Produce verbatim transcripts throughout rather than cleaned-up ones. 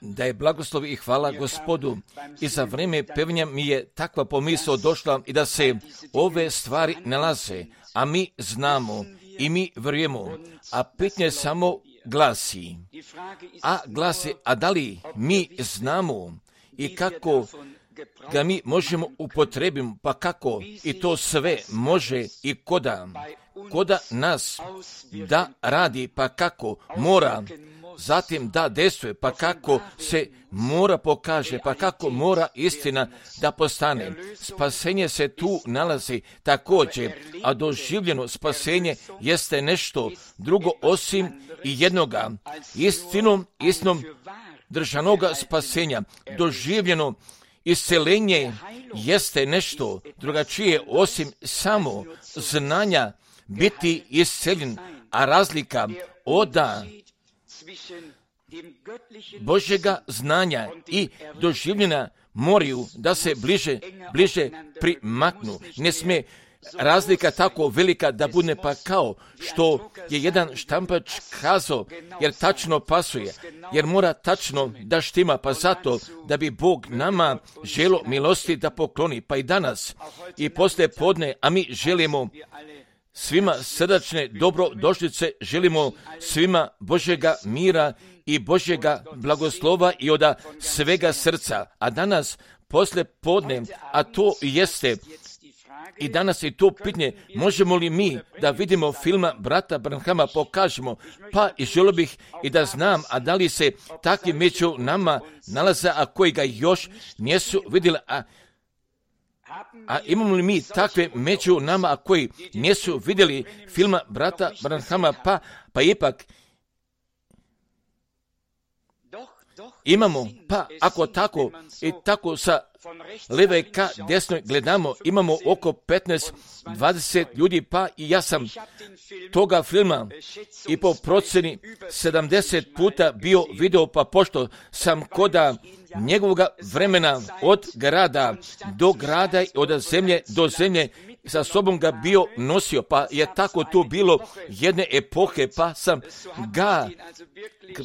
Da je blagoslov i hvala Gospodu. I za vrijeme pevnja mi je takva pomisao došla i da se ove stvari nalaze, a mi znamo i mi vjerujemo, a pitanje samo glasi, a glasi, a da li mi znamo i kako ga mi možemo upotrebiti, pa kako i to sve može i koda, koda nas da radi, pa kako mora, zatim da dejstvuje, pa kako se mora pokaže, pa kako mora istina da postane. Spasenje se tu nalazi također, a doživljeno spasenje jeste nešto drugo osim i jednoga. Istinom, istinom držanoga spasenja, doživljeno iscelenje jeste nešto drugačije osim samo znanja biti isceljen, a razlika oda Božjega znanja i doživljena moraju da se bliže, bliže primaknu. Ne smije razlika tako velika da bude pa kao što je jedan štampač kazao, jer tačno pasuje, jer mora tačno da štima, pa zato da bi Bog nama želo milosti da pokloni, pa i danas i poslije podne, a mi želimo svima srdačne dobrodošlice, želimo svima Božjega mira i Božjega blagoslova i od svega srca. A danas poslije podne, a to jeste i danas je to pitanje, možemo li mi da vidimo filma brata Branhama, pokažemo, pa i želio bih i da znam, a da li se takvi među nama nalaze, a koji ga još nisu vidjeli, a A imamo li mi takve među nama, a koji nisu vidjeli filma brata Branhama, pa, pa ipak imamo, pa ako tako i tako sa leve ka desnoj gledamo, imamo oko petnaest dvadeset ljudi, pa i ja sam toga filma i po proceni sedamdeset puta bio video, pa pošto sam koda njegovoga vremena od grada do grada i od zemlje do zemlje sa sobom ga bio nosio, pa je tako tu bilo jedne epohe, pa sam ga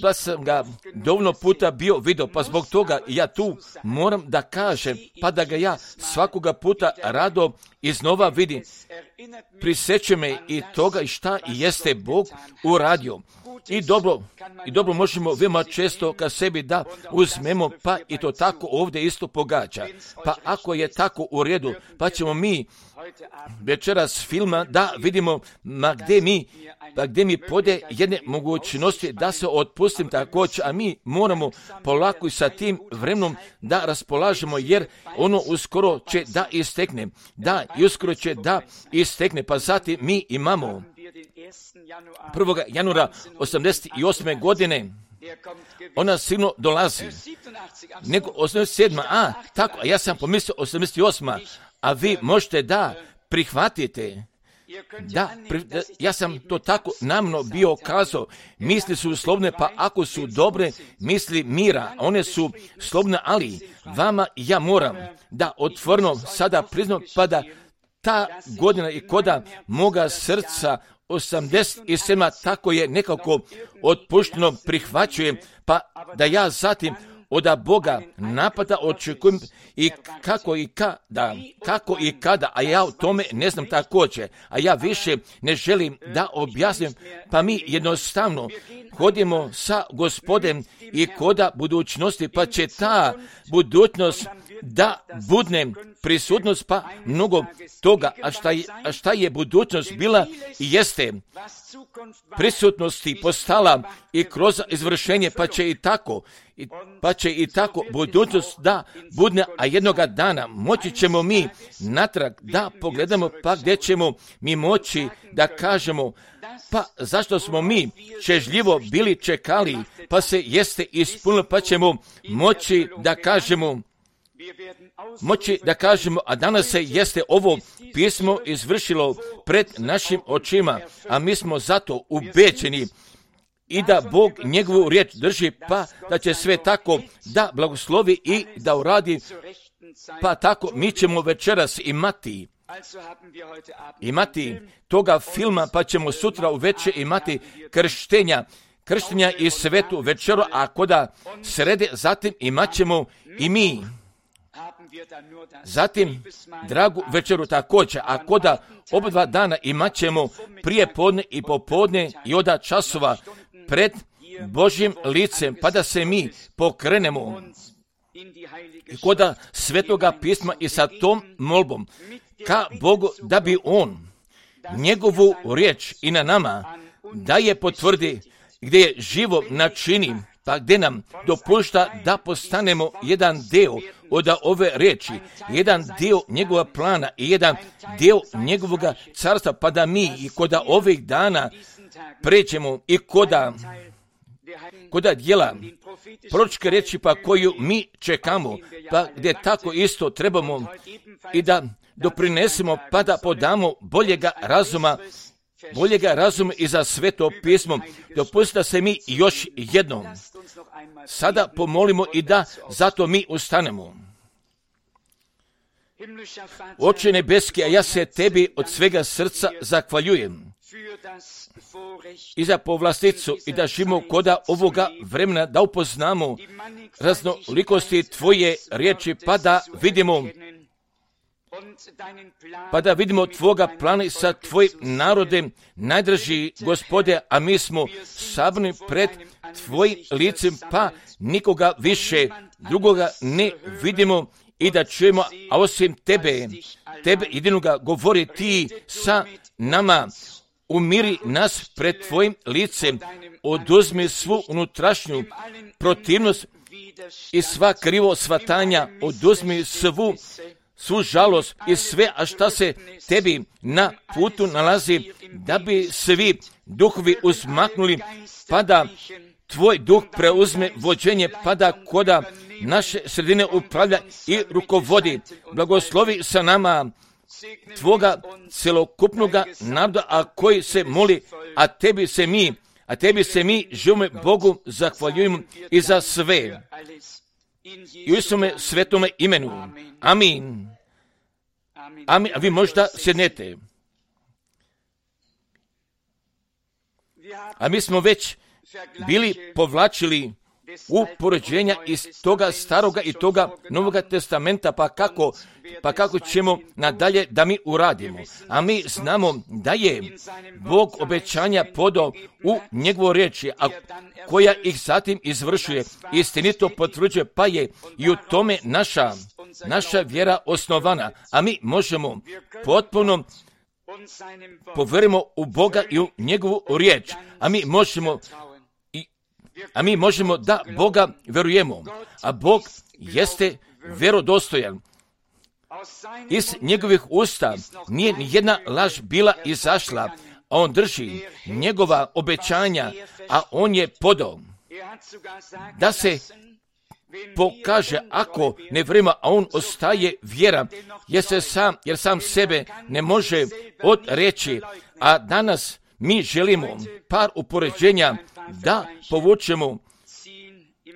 pa sam ga dovoljno puta bio video, pa zbog toga ja tu moram da kažem, pa da ga ja svakoga puta rado iznova vidim. Priseće me i toga i šta jeste Bog uradio. I dobro, i dobro možemo veoma često ka sebi da uzmemo, pa i to tako ovdje isto pogađa. Pa ako je tako u redu, pa ćemo mi večeras filma da vidimo ma gdje mi, pa gdje mi pode jedne mogućnosti da se otpustim također, a mi moramo polako i sa tim vremenom da raspolažemo, jer ono uskoro će da istekne, da i uskoro će da istekne, pa zatim mi imamo prvog januara osamdeset osme godine, ona sigurno dolazi, nego osamdeset sedma a tako, a ja sam pomislio osamdeset osma a vi možete da prihvatite, da, da, ja sam to tako namno bio kazao, misli su slobne, pa ako su dobre misli mira, one su slobne, ali vama ja moram da otvorno sada priznam, pa da ta godina i koda moga srca osamdeset sedma tako je nekako otpušteno prihvaćujem, pa da ja zatim od Boga napada očekujem i kako i kada, kako i kada, a ja o tome ne znam također, a ja više ne želim da objasnim, pa mi jednostavno hodimo sa Gospodem i koda budućnosti, pa će ta budućnost da budne prisutnost, pa mnogo toga, a šta je, a šta je budućnost bila i jeste prisutnosti postala i kroz izvršenje, pa će i tako, i, pa će i tako budućnost da budne, a jednoga dana moći ćemo mi natrag da pogledamo, pa gdje ćemo mi moći da kažemo, pa zašto smo mi čežljivo bili čekali, pa se jeste ispunilo, pa ćemo moći da kažemo, moći da kažemo, a danas se jeste ovo pismo izvršilo pred našim očima, a mi smo zato ubeđeni i da Bog njegovu riječ drži, pa da će sve tako da blagoslovi i da uradi, pa tako mi ćemo večeras imati imati toga filma, pa ćemo sutra uveče imati krštenja krštenja i svetu večeru, a koda srede, zatim imat ćemo i mi. Zatim dragu večeru također, a koda oba dva dana imat ćemo prije podne i popodne i oda časova pred Božjim licem, pa da se mi pokrenemo i koda svetoga pisma i sa tom molbom ka Bogu, da bi On njegovu riječ i na nama da je potvrdi, gdje je živo načini, pa gdje nam dopušta da postanemo jedan dio od ove riječi, jedan dio njegova plana i jedan dio njegovoga carstva, pa da mi i koda ovih dana pređemo i koda koda djela proročke riječi pa koju mi čekamo, pa gdje tako isto trebamo i da doprinesemo, pa da podamo boljega razuma, boljega razuma i za sveto pismo. Dopustite da se mi još jednom sada pomolimo i da zato mi ustanemo. Oče nebeski, a ja se tebi od svega srca zahvaljujem i za povlasticu i da živimo koda ovoga vremena, da upoznamo raznolikosti tvoje riječi, pa da vidimo pa da vidimo tvoga plana sa tvojim narodem, najdraži Gospode, a mi smo sabrani pred tvojim licem, pa nikoga više drugoga ne vidimo i da čujemo, a osim tebe, tebe jedinoga govori ti sa nama, umiri nas pred tvojim licem, oduzmi svu unutrašnju protivnost i sva krivo shvatanja, oduzmi svu svu žalost i sve, a šta se tebi na putu nalazi, da bi svi duhovi uzmaknuli, pa da tvoj duh preuzme vođenje, pa da koda naše sredine upravlja i rukovodi. Blagoslovi sa nama tvoga celokupnoga naroda, a koji se moli, a tebi se mi, a tebi se mi živimo Bogu zahvaljujemo i za sve. I u Isuse svetome imenu. Amin. Amin. A vi možda sjednete. A mi smo već bili povlačili u poređenja iz toga staroga i toga Novoga testamenta, pa kako, pa kako ćemo nadalje da mi uradimo. A mi znamo da je Bog obećanja podao u njegovu riječi, a koja ih zatim izvršuje, istinito potvrđuje, pa je i u tome naša, naša vjera osnovana. A mi možemo potpuno povjerimo u Boga i u njegovu riječ. A mi možemo A mi možemo da Boga vjerujemo, a Bog jeste vjerodostojan. Iz njegovih usta nije ni jedna laž bila izašla, a on drži njegova obećanja, a on je podao da se pokaže ako ne vrijeme, a on ostaje vjera, jer, se sam, jer sam sebe ne može odreći, a danas mi želimo par upoređenja da povučemo,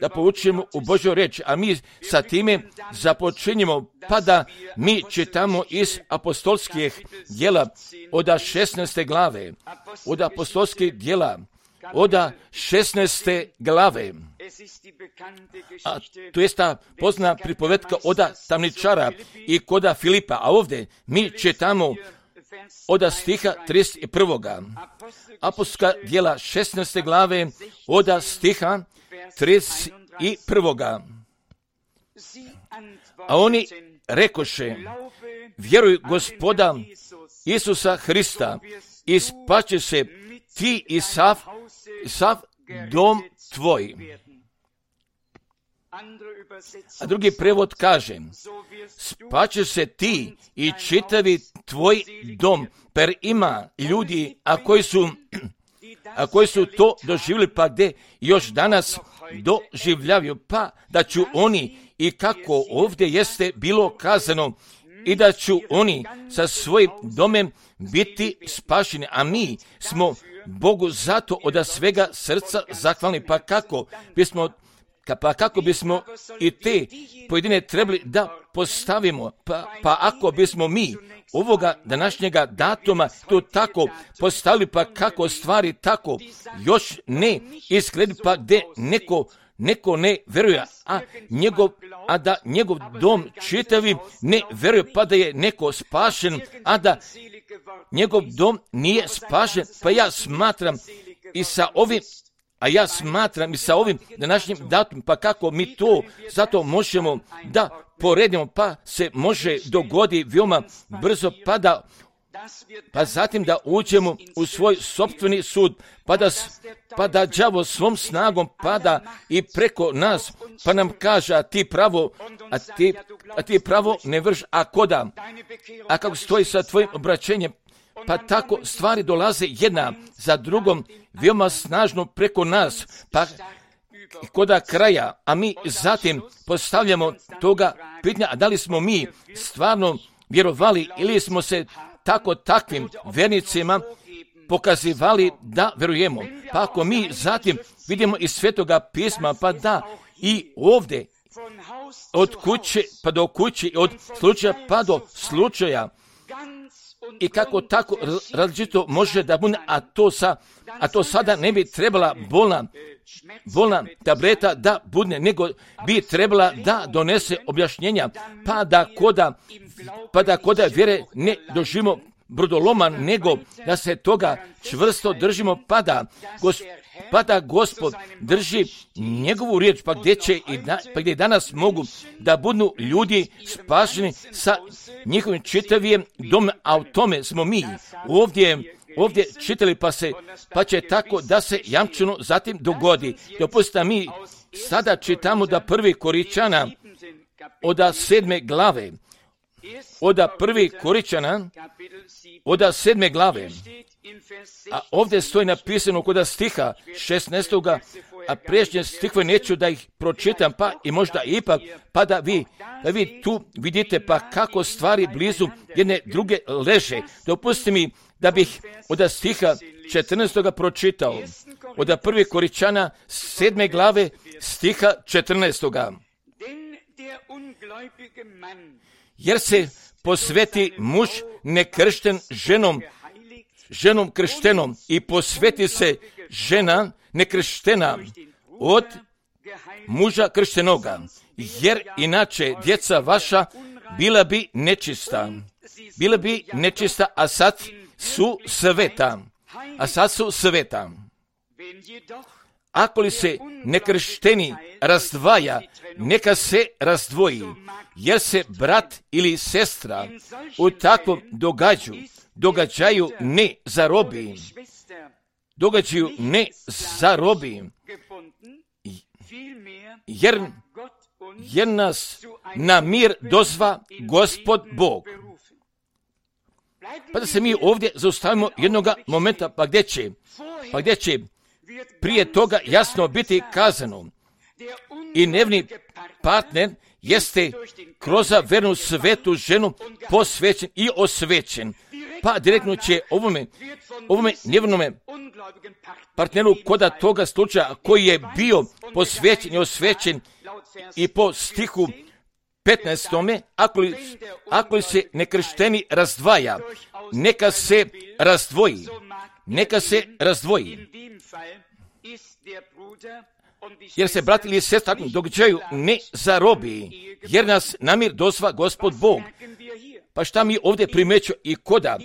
da povučemo u Božju riječ, a mi sa time započinjemo, pa da mi čitamo iz apostolskih djela od šesnaeste glave, od apostolskih djela od šesnaeste glave, a to je ta pozna pripovetka od tamničara i koda Filipa, a ovdje mi čitamo od stiha trideset prvog. Apostolska djela šesnaeste glave od stiha trideset prvog. A oni rekoše, vjeruj Gospoda Isusa Hrista i spaće se ti i sav, sav dom tvoj. A drugi prevod kaže, spaće se ti i čitavi tvoj dom, per ima ljudi, a koji su, a koji su to doživjeli, pa gdje još danas doživljavaju, pa da ću oni, i kako ovdje jeste bilo kazano, i da ću oni sa svojim domem biti spašeni, a mi smo Bogu zato od svega srca zahvalni, pa kako bismo pa kako bismo i te pojedine trebali da postavimo, pa, pa ako bismo mi ovoga današnjega datuma to tako postavili, pa kako stvari tako još ne izgledi, pa gdje neko Neko ne veruje, a, njegov, a da njegov dom čitavi ne veruje, pa da je neko spašen, a da njegov dom nije spašen. Pa ja smatram i sa ovim, a ja smatram i sa ovim današnjim datumom, pa kako mi to zato možemo da poredimo, pa se može dogodi veoma brzo, pa da pa zatim da uđemo u svoj sopstveni sud, pa da, pa da đavo svom snagom pada i preko nas, pa nam kaže, a ti pravo, a ti, a ti pravo ne vrš, a koda, a kako stoji sa tvojim obraćenjem, pa tako stvari dolaze jedna za drugom, veoma snažno preko nas, pa koda kraja, a mi zatim postavljamo toga pitanja, a da li smo mi stvarno vjerovali ili smo se tako takvim vernicima pokazivali da verujemo. Pa ako mi zatim vidimo iz Svetoga pisma, pa da i ovdje od kuće pa do kuće, od slučaja pa do slučaja, i kako tako različito može da bude, a to, sa, a to sada ne bi trebala bolna, bolna tableta da bude, nego bi trebala da donese objašnjenja, pa da koda, pa da koda vjere ne doživimo brodoloman, nego da se toga čvrsto držimo, pa da, gos, pa da Gospod drži njegovu riječ, pa gdje će i da, pa gdje danas mogu da budu ljudi spašeni sa njihovim čitavijem domom, a u tome smo mi ovdje ovdje čitali, pa se, pa će tako da se jamčeno zatim dogodi. Dopustite, mi sada čitamo da prvi Koričana oda sedme glave, oda prvi Koričana oda sedme glave, a ovdje stoji napisano kod stiha šesnaestoga, a priješnje stihove neću da ih pročitam, pa i možda ipak, pa da vi, da vi tu vidite pa kako stvari blizu jedne druge leže. Dopustite mi da bih od stiha četrnaestoga pročitao, od prvi Koričana sedme glave stiha četrnaestoga. Jer se posveti muž nekršten ženom, ženom krštenom, i posveti se žena nekrštena od muža krštenoga, jer inače djeca vaša bila bi nečista. Bila bi nečista, a sad su sveta. A sad su sveta. Ako li se nekršteni razdvaja, neka se razdvoji, jer se brat ili sestra u takvom događaju, događaju ne zarobi. Događaju ne zarobi, jer, jer nas na mir dozva Gospod Bog. Pa da se mi ovdje zaustavimo jednoga momenta, pa gdje će, pa gdje će prije toga jasno biti kazano, i nevni partner jeste kroz vernu svetu ženu posvećen i osvećen. Pa direktno će ovome, ovome nevnome partneru koda toga slučaja koji je bio posvećen i osvećen, i po stihu petnaestome, ako li, ako li se nekršteni razdvaja, neka se razdvoji, neka se razdvoji. Jer se brat ili sestra takvom događaju ne zarobi, jer nas namir dozva Gospod Bog. Pa šta mi ovdje primeću i koda,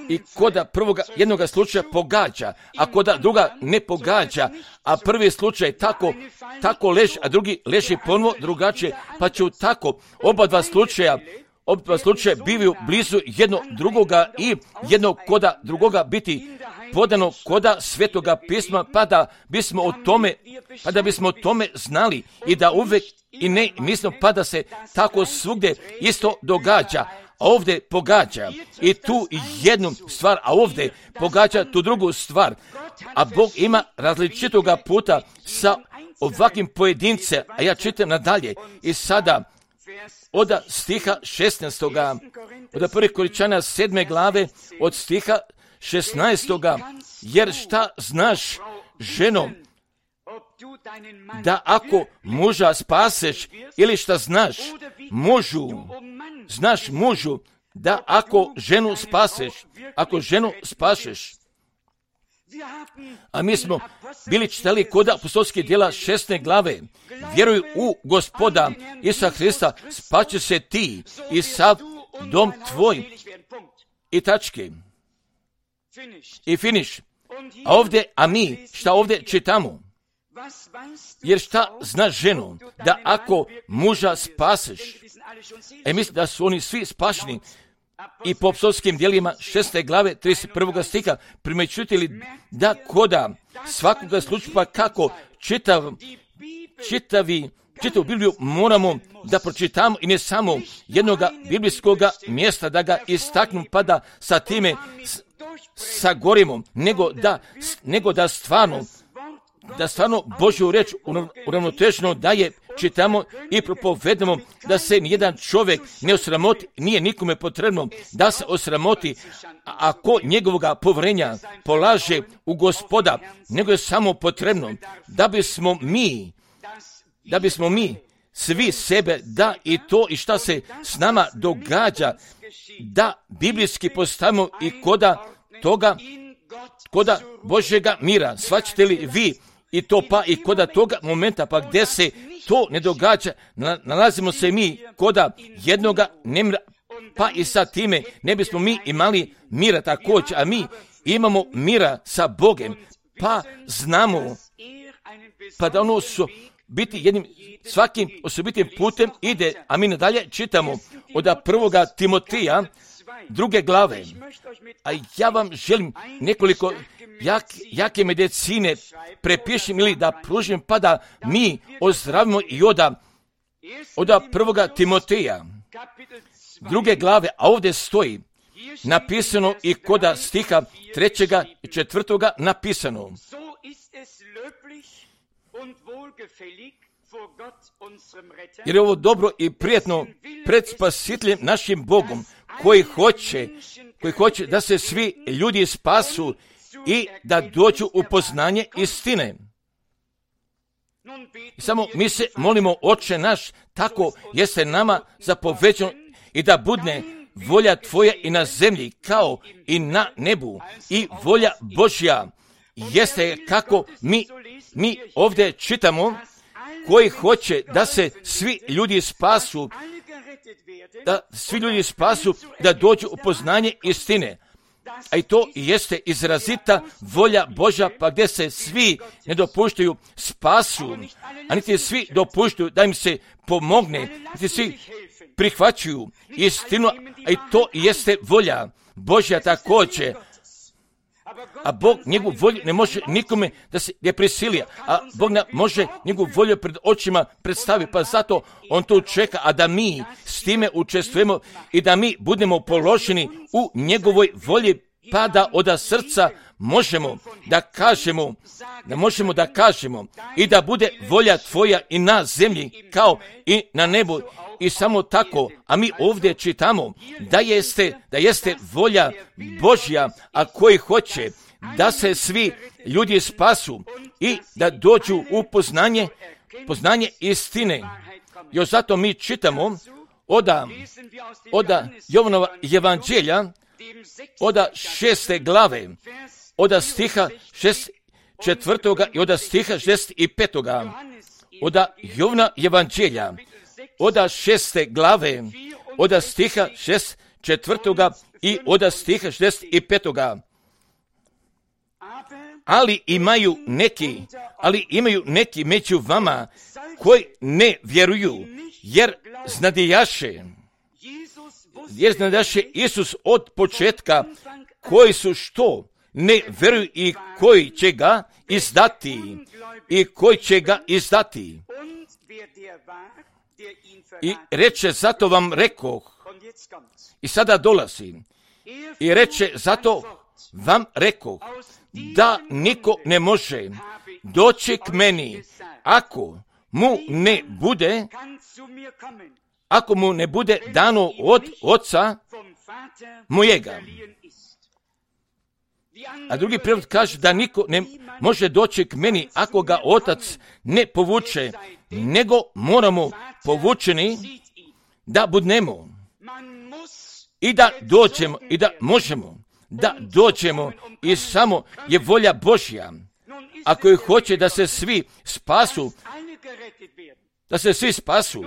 i koda prvoga jednoga slučaja pogađa, a koda druga ne pogađa, a prvi slučaj tako, tako leži, a drugi leži ponovo drugačije, pa će tako oba dva slučaja, oba dva slučaja bivaju blizu jedno drugoga i jednog koda drugoga biti podano koda Svetoga pisma, pa da bismo o tome, pa da bismo o tome znali i da uvek i ne mislimo, pa da se tako svugdje isto događa, a ovdje pogađa i tu jednu stvar, a ovdje pogađa tu drugu stvar, a Bog ima različitoga puta sa ovakvim pojedince, a ja čitam nadalje i sada od stiha šesnaestoga, od prvi Koričana sedme glave, od stiha šesnaestoga, jer šta znaš ženo, da ako muža spaseš ili šta znaš, mužu, znaš mužu, da ako ženu spaseš, ako ženu spašeš. A mi smo bili čitali kod apostolskih djela šesnaeste glave. Vjeruj u Gospoda Isusa Hrista, spaće se ti i sav dom tvoj. I tačke. I finiš. A ovdje, a mi, šta ovdje čitamo? Jer šta znaš ženu? Da ako muža spaseš, e mislim da su oni svi spašeni. I po apostolskim djelima šeste glave trideset prvog stiha primjećujete li da koda svakoga slučaja kako čitav, čitavi, čitavu Bibliju moramo da pročitamo i ne samo jednog biblijskog mjesta da ga istaknu pa da sa time sagorimo, nego da, nego da stvarno da stvarno Božju reč uravnoteženo da je čitamo i propovedamo, da se nijedan čovjek ne osramoti, nije nikome potrebno da se osramoti ako njegovoga povjerenja polaže u Gospoda, nego je samo potrebno da bismo mi, da bismo mi svi sebe, da i to i šta se s nama događa, da biblijski postavimo i koda toga, koda Božjega mira. Shvaćate li vi i to pa i koda toga momenta pa gdje se to ne događa, nalazimo se mi koda jednoga nemira, pa i sa time ne bismo mi imali mira također, a mi imamo mira sa Bogom, pa znamo, pa da ono su biti jednim, svakim osobitim putem ide, a mi nadalje čitamo od prvoga Timotija, druge glave. A ja vam želim nekoliko jak, jake medicine prepišem ili da pružim pa da mi ozdravimo i oda, oda prvoga Timoteja, druge glave, a ovdje stoji napisano i koda stiha trećega i četvrtoga napisano. Jer je ovo dobro i prijetno pred Spasiteljem našim Bogom, koji hoće, koji hoće da se svi ljudi spasu i da dođu u poznanje istine. I samo mi se molimo, Oče naš, tako jeste nama zapoveđeno i da budne volja Tvoja i na zemlji kao i na nebu. I volja Božja jeste kako mi, mi ovdje čitamo, koji hoće da se svi ljudi spasu, da svi ljudi spasu, da dođu u poznanje istine. A i to jeste izrazita volja Božja, pa gdje se svi ne dopuštaju spasu, a niti svi dopuštaju da im se pomogne, niti svi prihvaćaju istinu, a i to jeste volja Božja također. A Bog njegovu volju ne može nikome da se ne prisili, a Bog ne može njegovu volju pred očima predstavi, pa zato on to čeka, a da mi s time učestvujemo i da mi budemo položeni u njegovoj volji, pa da od srca možemo da kažemo, da možemo da kažemo i da bude volja Tvoja i na zemlji kao i na nebu. I samo tako, a mi ovdje čitamo da jeste, da jeste volja Božja, a koji hoće da se svi ljudi spasu i da dođu u poznanje, poznanje istine. Još zato mi čitamo oda, oda Jovanova evanđelja, oda šeste glave, oda stiha šest četvrtoga i oda stiha šest i petoga, oda Jovana evanđelja, oda šeste glave, oda stiha šest četvrtoga i oda stiha šest i petoga. Ali imaju neki, ali imaju neki među vama koji ne vjeruju, jer znadijaše, jer znadijaše Isus od početka, koji su što ne vjeruju i koji će ga izdati, i koji će ga izdati. I reče, zato vam rekoh, i sada dolazi, i reče, zato vam rekoh, da niko ne može doći k meni, ako mu ne bude, ako mu ne bude dano od Oca mojega. A drugi prijevod kaže da niko ne može doći k meni ako ga otac ne povuče, nego moramo povučeni da budnemo i da dođemo i da možemo da dođemo i samo je volja Božja. Ako je hoće da se svi spasu, da se svi spasu,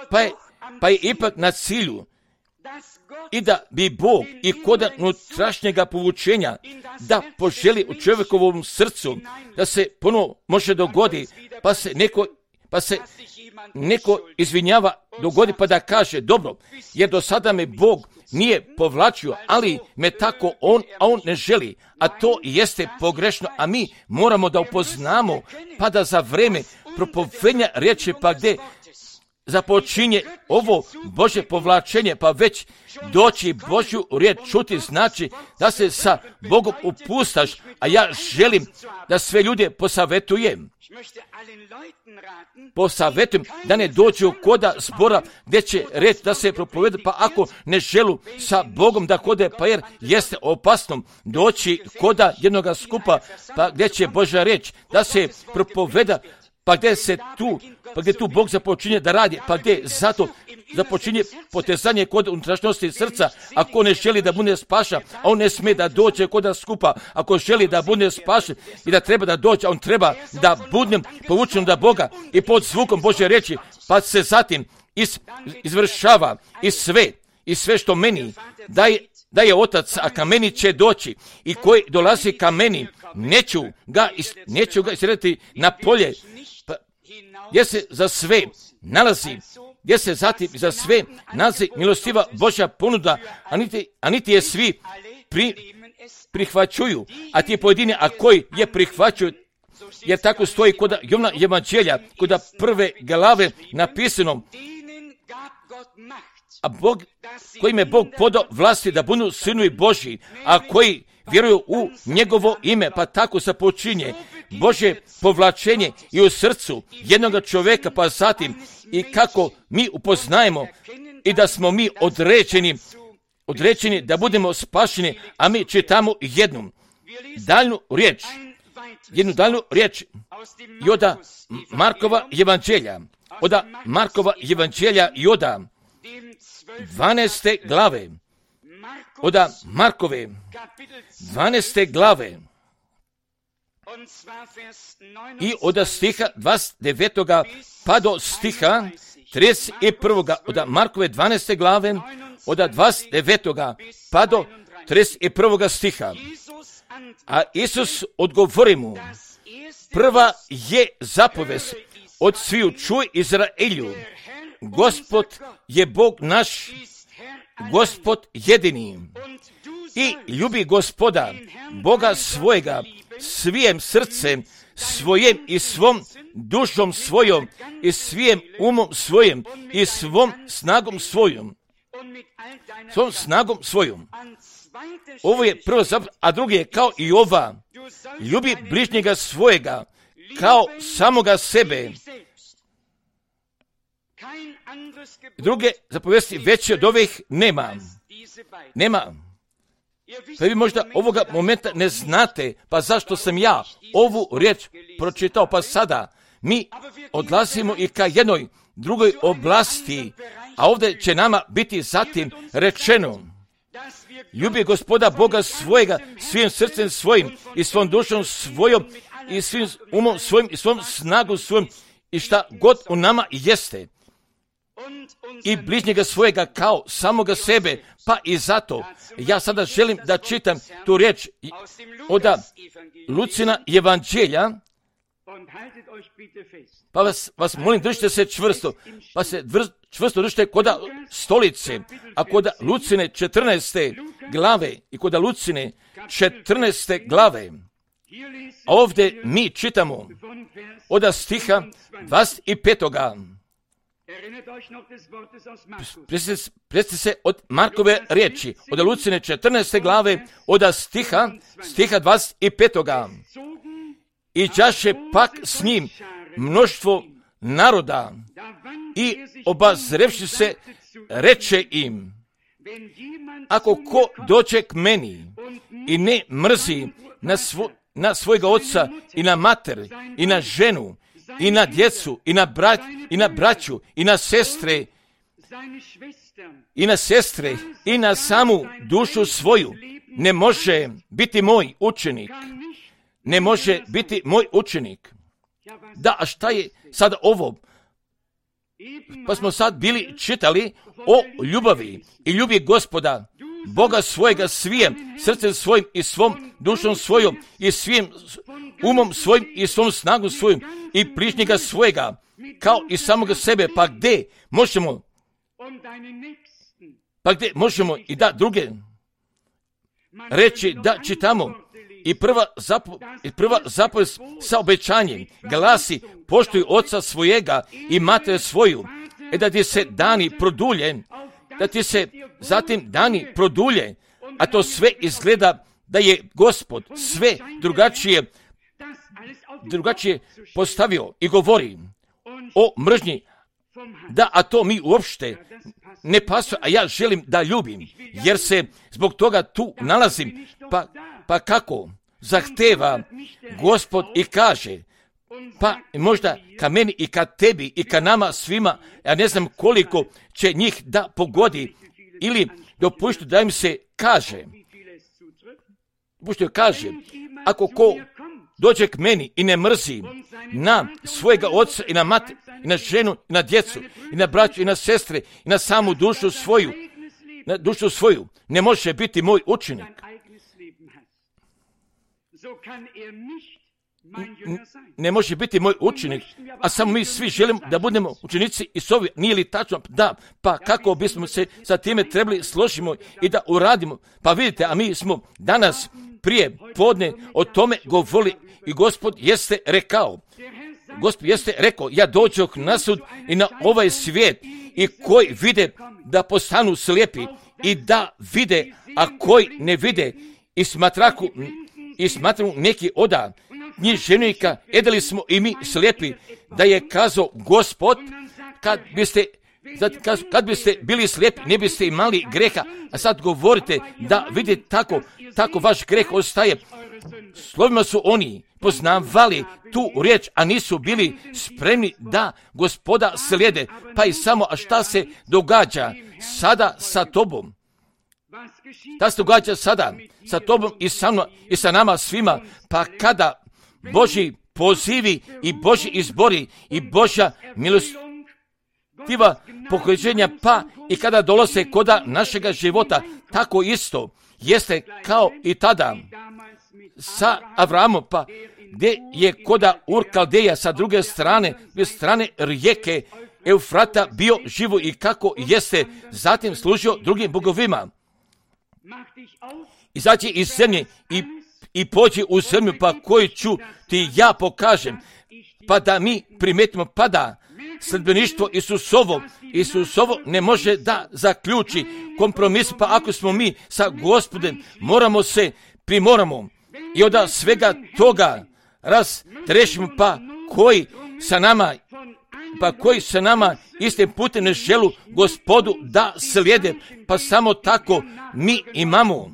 pa je, pa je ipak na cilju i da bi Bog i kod unutrašnjega povučenja da poželi u čovjekovom srcu da se ponovo može dogodi, pa se neko, pa se neko izvinjava dogodi pa da kaže dobro, jer do sada me Bog nije povlačio, ali me tako on, a on ne želi, a to jeste pogrešno, a mi moramo da upoznamo, pa da za vreme propovedanja riječi, pa gdje započinje ovo Božje povlačenje, pa već doći Božju riječ čuti znači da se sa Bogom upustaš, a ja želim da sve ljude posavetujem. Posavetujem da ne dođu koda zbora gdje će reći da se propoveda, pa ako ne želu sa Bogom da kode, pa jer jeste opasno doći koda jednoga skupa, pa gdje će Božja riječ da se propoveda, pa gdje se tu, pa gdje tu Bog započinje da radi, pa gdje zato započinje potezanje kod unutrašnjosti srca, ako ne želi da bude spašen, a on ne smije da dođe kod nas skupa, ako želi da bude spašen i da treba da dođe, on treba da budem povučen da Boga i pod zvukom Božje riječi, pa se zatim iz, izvršava i sve, i sve što meni daje, da je otac, a ka meni će doći i koji dolazi ka meni, neću ga, neću ga isrediti na polje, pa, gdje se za sve nalazi, gdje se zatim za sve nalazi milostiva Božja ponuda, a niti, a niti je svi pri, prihvaćuju, a ti pojedini, a koji je prihvaćuju, jer tako stoji kod Jovana evanđelja, kod prve glave napisano, a Bog, kojim je Bog podao vlasti da budu sinovi Božji, a koji vjeruju u njegovo ime, pa tako se počinje Božje povlačenje i u srcu jednoga čovjeka, pa zatim i kako mi upoznajemo i da smo mi određeni, određeni da budemo spašeni, a mi čitamo jednu daljnu riječ, jednu daljnu riječ i od Markova evanđelja, od Markova evanđelja i od dvanaeste glave, od Markove dvanaeste glave i od stiha dvadeset devetog pa do stiha trideset prvog od Markove dvanaeste glave, od dvadeset devetog pa do trideset prvog stiha. A Isus odgovori mu, prva je zapovest od sviju, čuj Izraelju, Gospod je Bog naš, Gospod jedini, i ljubi Gospoda, Boga svojega, svijem srcem svojem i svom dušom svojom i svijem umom svojim i svom snagom svojom. Svom snagom svojom. Ovo je prvo zapovest, a drugi je kao i ova. Ljubi bližnjega svojega kao samoga sebe. Druge zapovesti veće od ovih nema. Nema. Pa vi možda ovoga momenta ne znate, pa zašto sam ja ovu riječ pročitao, pa sada mi odlazimo i ka jednoj drugoj oblasti, a ovdje će nama biti zatim rečeno, ljubi Gospoda Boga svojega svim srcem svojim i svom dušom svojom i svim umom svojim i svom snagom svojom i šta god u nama jeste. I bližnjega svojega kao samoga sebe, pa i zato ja sada želim da čitam tu riječ od Lucina evanđelja, pa vas, vas molim držite se čvrsto, pa se dvr, čvrsto držite kod stolice, a kod Lucine četrnaeste glave i kod Lucine četrnaeste glave, a ovdje mi čitamo od stiha dvadeset petog Presjetite se od Markove riječi, od Lucine četrnaeste glave, od stiha, stiha dvadeset petog I đaše pak s njim mnoštvo naroda i obazrevši se reče im, ako ko dođe k meni i ne mrzi na, svo, na svojega oca i na mater i na ženu i na djecu i na, brat, i na braću i na sestre i na sestre i na samu dušu svoju, ne može biti moj učenik. Ne može biti moj učenik. Da, a šta je sad ovo? Pa smo sad bili čitali o ljubavi i ljubi Gospoda, Boga svojega svijem, srcem svojim i svom dušom svojom i svim umom svojim i svom snagom svojim i bližnjega svojega, kao i samoga sebe. Pa gdje možemo, pa gdje možemo i da druge reći da čitamo i prva, zapo, i prva zapovijed sa obećanjem glasi: poštuj oca svojega i mater svoju, e da ti se dani produlje, da ti se zatim dani produlje, a to sve izgleda da je Gospod sve drugačije, drugačije postavio i govori o mržnji, da, a to mi uopšte ne pasuje, a ja želim da ljubim, jer se zbog toga tu nalazim. Pa, pa kako? Zahteva Gospod i kaže, pa možda ka meni i ka tebi i ka nama svima, ja ne znam koliko će njih da pogodi, ili dopuštu da im se kaže, dopuštu kaže, ako ko dođe k meni i ne mrzi na svojega oca i na mater, i na ženu, i na djecu, i na braću, i na sestre, i na samu dušu svoju, na dušu svoju, ne može biti moj učenik. Ne može biti moj učenik, a samo mi svi želimo da budemo učenici i sovi. Nije li tačno? Da, pa kako bismo se sa time trebali složimo i da uradimo? Pa vidite, a mi smo danas prije podne o tome govorili i Gospod jeste rekao, Gospod jeste rekao, ja dođoh na sud i na ovaj svijet, i koji vide da postanu slijepi i da vide, a koji ne vide, i smatraku, i smatraju neki oda književnika, edali smo i mi slijepi, da je kazao Gospod, kad biste, kad biste bili slijepi, ne biste imali greha, a sad govorite da vidite tako, tako vaš greh ostaje. Slovima su oni poznavali tu riječ, a nisu bili spremni da Gospoda slijede. Pa i samo, a šta se događa sada sa tobom? Šta se događa sada sa tobom i sa, mnom, i sa nama svima? Pa kada Božji pozivi i Božji izbori i Božja milostiva pokrećenja, pa i kada dolaze koda našega života, tako isto jeste kao i tada sa Avramom, pa gdje je koda Ur Kaldeja sa druge strane, s strane rijeke Eufrata bio živo i kako jeste zatim služio drugim bogovima. Izaći iz zemlje i, i pođi u zemlju, pa koju ću ti ja pokažem, pa da mi primetimo, pa da sledbeništvo Isusovo, Isusovo ne može da zaključi kompromis, pa ako smo mi sa Gospodem, moramo se primoramo i onda svega toga raztrešimo, pa koji sa nama, pa koji sa nama istim putem ne želu Gospodu da slijede, pa samo tako mi imamo,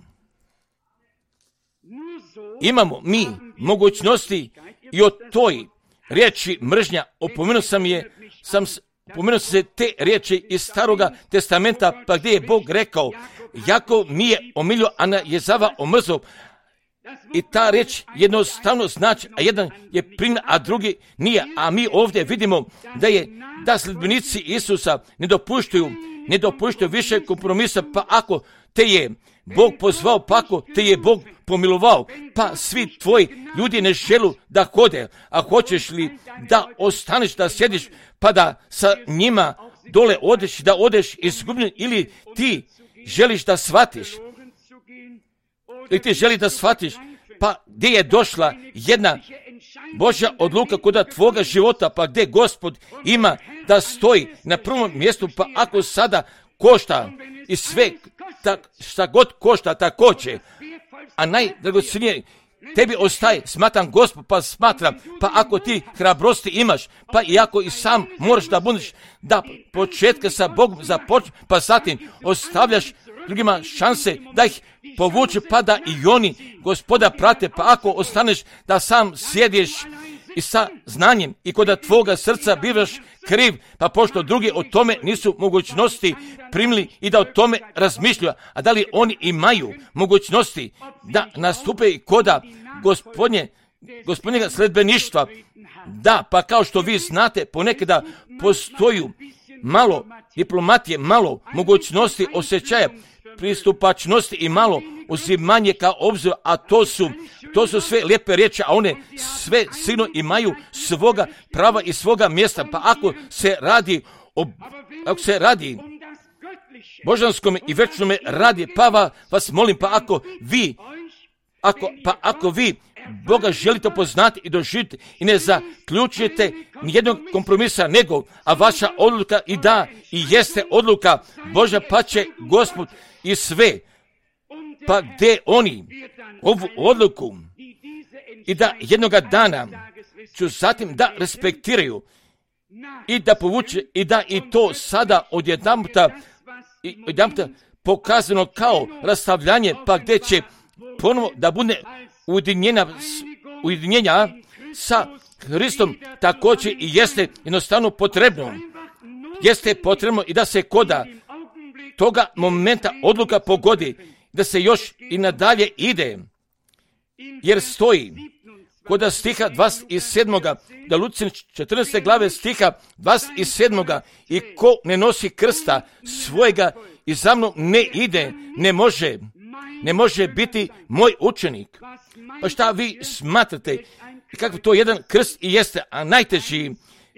imamo mi mogućnosti i o toj riječi mržnja, opomenuo sam je, sam opomenuo se te riječi iz Staroga testamenta, pa gdje je Bog rekao, Jakov mi je omilio, a na Jezava omrzao. I ta riječ jednostavno znači, a jedan je primljen, a drugi nije. A mi ovdje vidimo da je, da sledbenici Isusa ne dopuštaju, ne dopuštaju više kompromisa, pa ako te je Bog pozvao, pa ako te je Bog pomilovao, pa svi tvoji ljudi ne želu da hode, a hoćeš li da ostaneš, da sjediš, pa da sa njima dole odeš, da odeš izgubljen, ili ti želiš da shvatiš, ili ti želi da shvatiš, pa gdje je došla jedna Božja odluka kod tvoga života, pa gdje Gospod ima da stoji na prvom mjestu, pa ako sada košta i sve, tak, šta god košta, tako će, a najdragocenije tebi ostaje, smatram Gospod, pa smatram, pa ako ti hrabrosti imaš, pa i ako i sam moraš da budeš, da početka sa Bogom započne, pa zatim ostavljaš drugima šanse da ih povuče, pa da i oni Gospoda prate. Pa ako ostaneš da sam sjediš i sa znanjem i kod tvoga srca bivaš kriv, pa pošto drugi o tome nisu mogućnosti primili i da o tome razmišljaju, a da li oni imaju mogućnosti da nastupe i koda gospodnje, gospodnjega sledbeništva? Da, pa kao što vi znate, ponekada postoju malo diplomatije, malo mogućnosti osjećaja, pristupačnosti i malo uzimanje kao obzir, a to su, to su sve lijepe riječi, a one sve sigurno imaju svoga prava i svoga mjesta. Pa ako se radi o, ako se radi božanskom i večnome radi, pa vas molim, pa ako vi, ako, pa ako vi Boga želite poznati i doživjeti i ne zaključujete nijednog kompromisa nego, a vaša odluka i da i jeste odluka Božja, pa će Gospod i sve, pa gdje oni ovu odluku i da jednoga dana ću zatim da respektiraju i da povuče i da i to sada odjedanputa i odjedanputa pokazano kao rastavljanje, pa gdje će ponovo da bude ujedinjenja, ujedinjenja sa Hristom, također i jeste jednostavno potrebno. Jeste potrebno i da se koda toga momenta odluka pogodi, da se još i nadalje ide, jer stoji koda stiha dvadeset sedam. da Lučin četrnaeste glave stiha dvadeset sedam. I ko ne nosi krsta svojega i za mnom ne ide, ne može, ne može biti moj učenik. Pa šta vi smatrate i kako to jedan krst i jeste, a najteži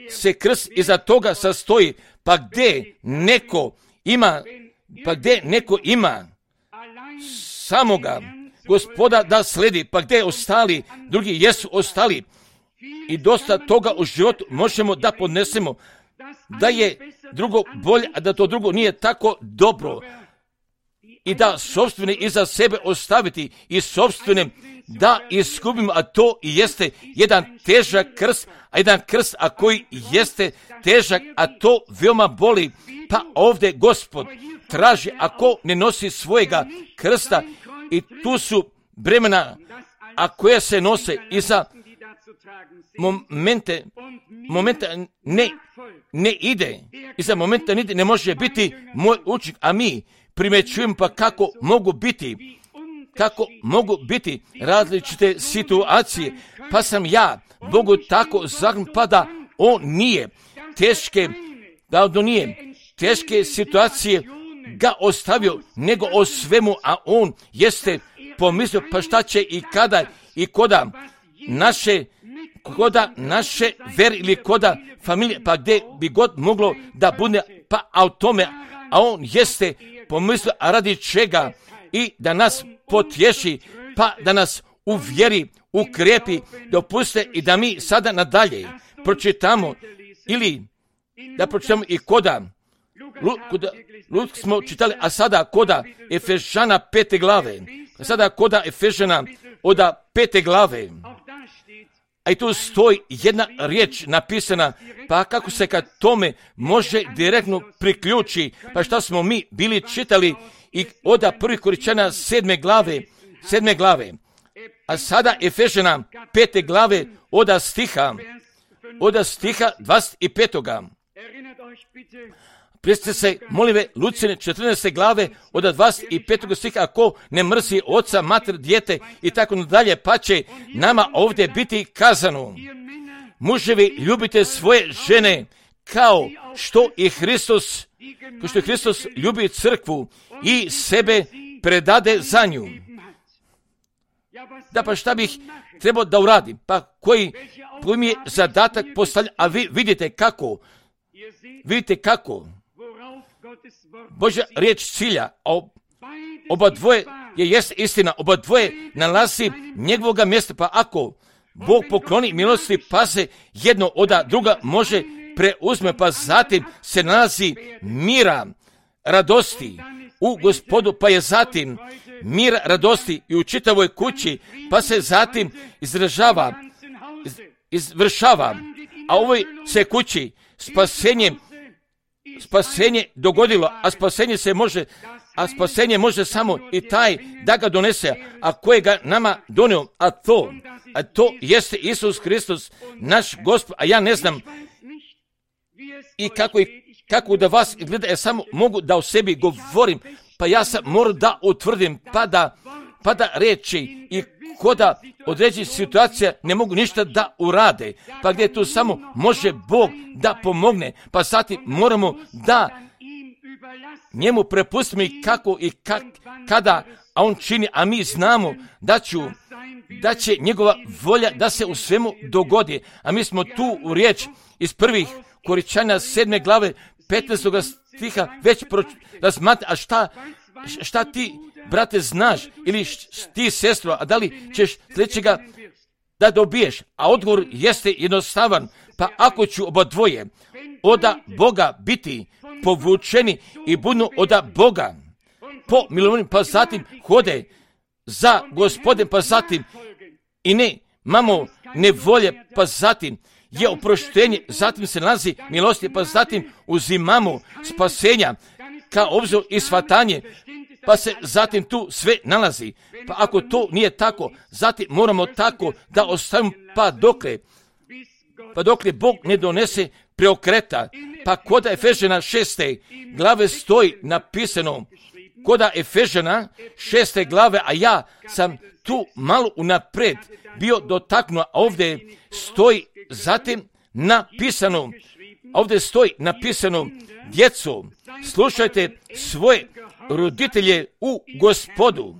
se krst iza toga sastoji, pa gdje neko ima, pa gdje neko ima samoga Gospoda da sledi, pa gdje ostali, drugi jesu ostali. I dosta toga u životu možemo da podnesemo, da je drugo bolje, a da to drugo nije tako dobro. I da sopstvene iza sebe ostaviti i sopstvene da iskupimo, a to i jeste jedan težak krst, a jedan krst, a koji jeste težak, a to veoma boli. Pa ovdje Gospod traži, ako ne nosi svojega krsta, i tu su bremena, a koje se nose i za momente, momenta ne, ne ide, i za momenta ne, ne može biti moj učenik, a mi primjećujemo pa kako mogu biti, kako mogu biti različite situacije, pa sam ja Bogu tako zahvalan, pa da on nije teške, da on nije teške situacije ga ostavio, nego o svemu, a on jeste pomislio, pa šta će i kada i koda naše, koda naše veri ili koda familije, pa gdje bi god moglo da bude, pa a o tome, a on jeste pomislio, a radi čega, i da nas potješi, pa da nas uvjeri, ukrepi, dopuste i da mi sada nadalje pročitamo, ili da pročitamo i koda Luka, Luka smo čitali, a sada koda Efežana pete glave, a sada koda Efežana oda pete glave, a i tu stoji jedna riječ napisana, pa kako se kad tome može direktno priključi, pa šta smo mi bili čitali i oda prvi Koričana sedme glave, sedme glave, a sada Efežana pete glave oda stiha, oda stiha dvadeset petoga. Prisjetite se, molive, Lucine četrnaeste glave od dvadeset petog stiha, ako ne mrzi oca, mater, dijete i tako nadalje, pa će nama ovdje biti kazano: muževi, ljubite svoje žene kao što i Hristos, kao što i Hristos ljubi crkvu i sebe predade za nju. Da, pa šta bih trebao da uradim? Pa koji, koji mi je zadatak postavljen, a vi vidite kako, vidite kako Božja riječ cilja, a oba dvoje je jest istina, oba dvoje nalazi njegovoga mjesta, pa ako Bog pokloni milosti, pa se jedno od druga može preuzme, pa zatim se nalazi mira, radosti u Gospodu, pa je zatim mira, radosti i u čitavoj kući, pa se zatim izražava, iz, izvršava, a ovoj se kući spasenje, spasenje dogodilo, a spasenje se može a spasenje može samo i taj da ga donese, a koje ga nama donio, a to, a to jeste Isus Hristos, naš Gospod, a ja ne znam i kako, i kako da vas gleda, ja samo mogu da o sebi govorim, pa ja sam moram da utvrdim, pa da, pa da reći i koda određenih situacija ne mogu ništa da urade, pa gdje tu samo može Bog da pomogne, pa sati moramo da njemu prepustimo i kako i kak, kada, a on čini, a mi znamo da, ću, da će njegova volja da se u svemu dogodi, a mi smo tu u riječ iz prvih Koričana sedme glave petnaestog stiha već razmatrali, a šta, šta ti, brate, znaš, ili ti, sestro, a da li ćeš sljedećega da dobiješ? A odgovor jeste jednostavan, pa ako ću oba dvoje oda Boga biti povučeni i budu oda Boga po milovanju, pa zatim hode za Gospodem, pa zatim i ne mamo nevolje, pa zatim je oproštenje, zatim se nalazi milosti, pa zatim uzimamo spasenja ka obzor i shvatanje, pa se zatim tu sve nalazi. Pa ako to nije tako, zatim moramo tako da ostavimo, pa dokle, pa dokle Bog ne donese preokreta. Pa koda Efežana šeste glave stoji napisano, koda Efežana šeste glave, a ja sam tu malo unapred bio dotaknuo, a ovdje stoji zatim napisano, ovdje stoji napisano, djeco, slušajte svoje roditelje u Gospodu,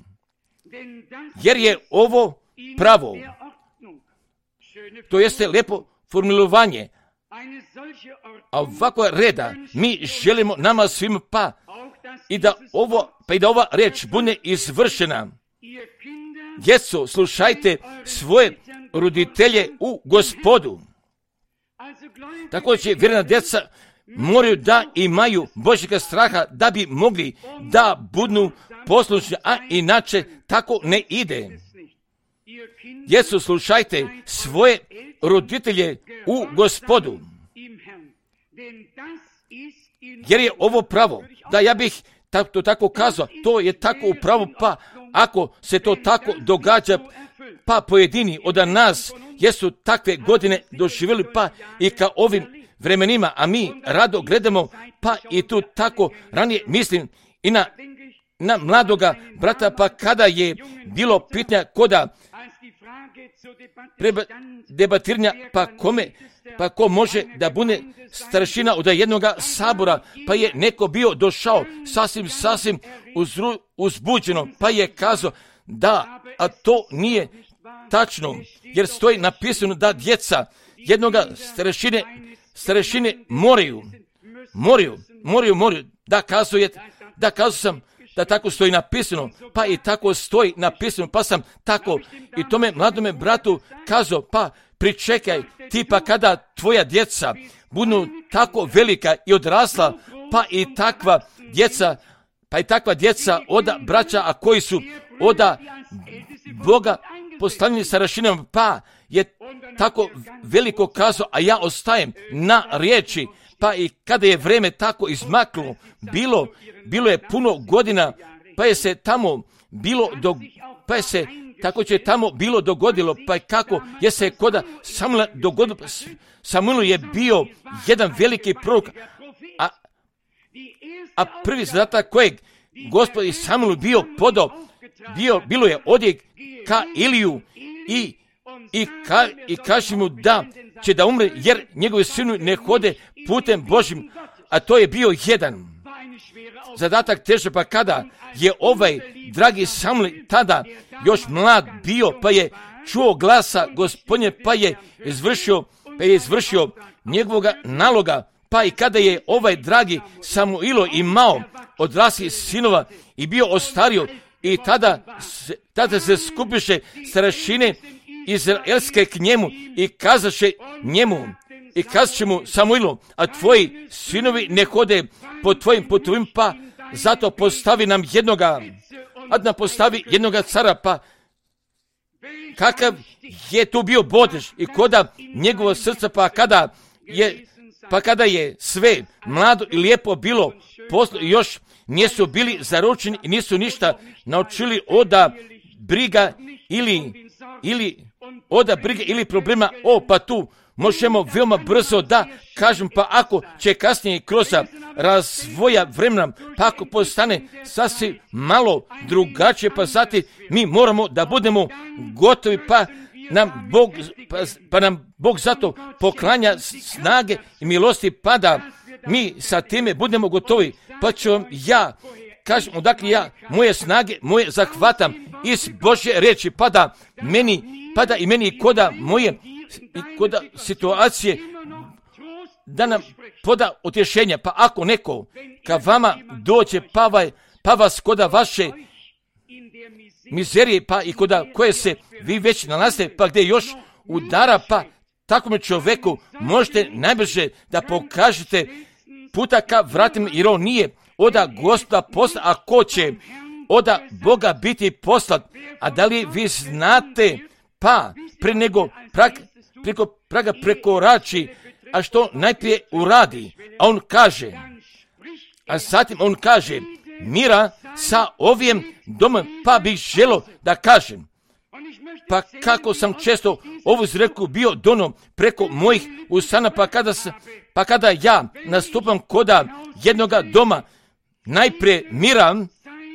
jer je ovo pravo. To jeste lijepo formulovanje. A ovakva reda mi želimo nama svima, pa i da ovo, pa i da ova reč bude izvršena. Djeco, slušajte svoje roditelje u Gospodu. Tako će vjerna djeca moraju da imaju Božjega straha da bi mogli da budu poslušni, a inače tako ne ide. Djeco, slušajte svoje roditelje u Gospodu, jer je ovo pravo. Da, ja bih to tako kazao, to je tako upravo, pa ako se to tako događa, pa pojedini od nas jesu takve godine doživjeli, pa i ka ovim vremenima, a mi rado gledamo, pa i tu tako ranije mislim i na, na mladoga brata, pa kada je bilo pitanja koda debatiranja, pa kome, pa ko može da bude staršina od jednoga sabora, pa je neko bio došao sasvim, sasvim uzru, uzbuđeno, pa je kazao da, a to nije tačno, jer stoji napisano da djeca jednoga starešine, starešine moraju, moraju, moraju, moraju, da kazuje, da kazao sam, da tako stoji napisano, pa i tako stoji napisano, pa sam tako i tome mladome bratu kazao, pa pričekaj ti, pa kada tvoja djeca budu tako velika i odrasla, pa i takva djeca, pa i takva djeca oda braća, a koji su oda Boga postavljeni sa rašinama, pa je tako veliko kazao, a ja ostajem na riječi, pa i kada je vreme tako izmaklo, bilo, bilo je puno godina, pa je se tamo bilo, do, pa je se tako će tamo bilo dogodilo, pa kako je se koda Samuela dogodilo. Samuel je bio jedan veliki prorok, a, a prvi zadatak kojeg Gospod i Samuel bio podao, bio, bilo je odjek ka Iliju i, i, ka, i kaži mu da će da umre, jer njegovi sinu ne hode putem Božim, a to je bio jedan zadatak teže, pa kada je ovaj dragi Samuel tada još mlad bio, pa je čuo glasa Gospodnje, pa je izvršio, pa je izvršio njegovoga naloga, pa i kada je ovaj dragi Samuilo imao odraslih sinova i bio ostario, i tada se, tada se skupiše starešine izraelske k njemu i kazaše njemu, i kazaše mu Samuilu, a tvoji sinovi ne hode po tvojim putovima, pa zato postavi nam jednoga, a da postavi jednoga cara, pa kakav je tu bio bodež i koda njegovo srce, pa kada je, pa kada je sve mlado i lijepo bilo poslo, još nisu bili zaručeni i nisu ništa naučili oda briga ili, ili oda briga ili problema. O, pa tu možemo veoma brzo da kažem, pa ako će kasnije kroz razvoja vremena, pa ako postane sasvim malo drugačije, pa zatim mi moramo da budemo gotovi, pa nam Bog, pa, pa nam Bog zato poklanja snage i milosti, pa da mi sa time budemo gotovi. Pa ću vam ja kažem, odakle ja moje snage, moje zahvatam iz Božje reči, pa da meni, pa da i meni koda moje i koda situacije da nam poda utješenja. Pa ako neko ka vama dođe, pa, vaj, pa vas koda vaše mizerije, pa i koda koje se vi već nalazite, pa gdje još udara, pa takvom čovjeku možete najbrže da pokažete puta ka vratima, jer on nije oda Gospoda posla, a ko će oda Boga biti poslat. A da li vi znate, pa pre nego prag, preko praga prekorači, a što najprije uradi, a on kaže, a zatim on kaže, mira sa ovim domom, pa bih želo da kažem, pa kako sam često ovu izreku bio dono preko mojih usana, pa kada, sam, pa kada ja nastupam koda jednoga doma, najprije mira,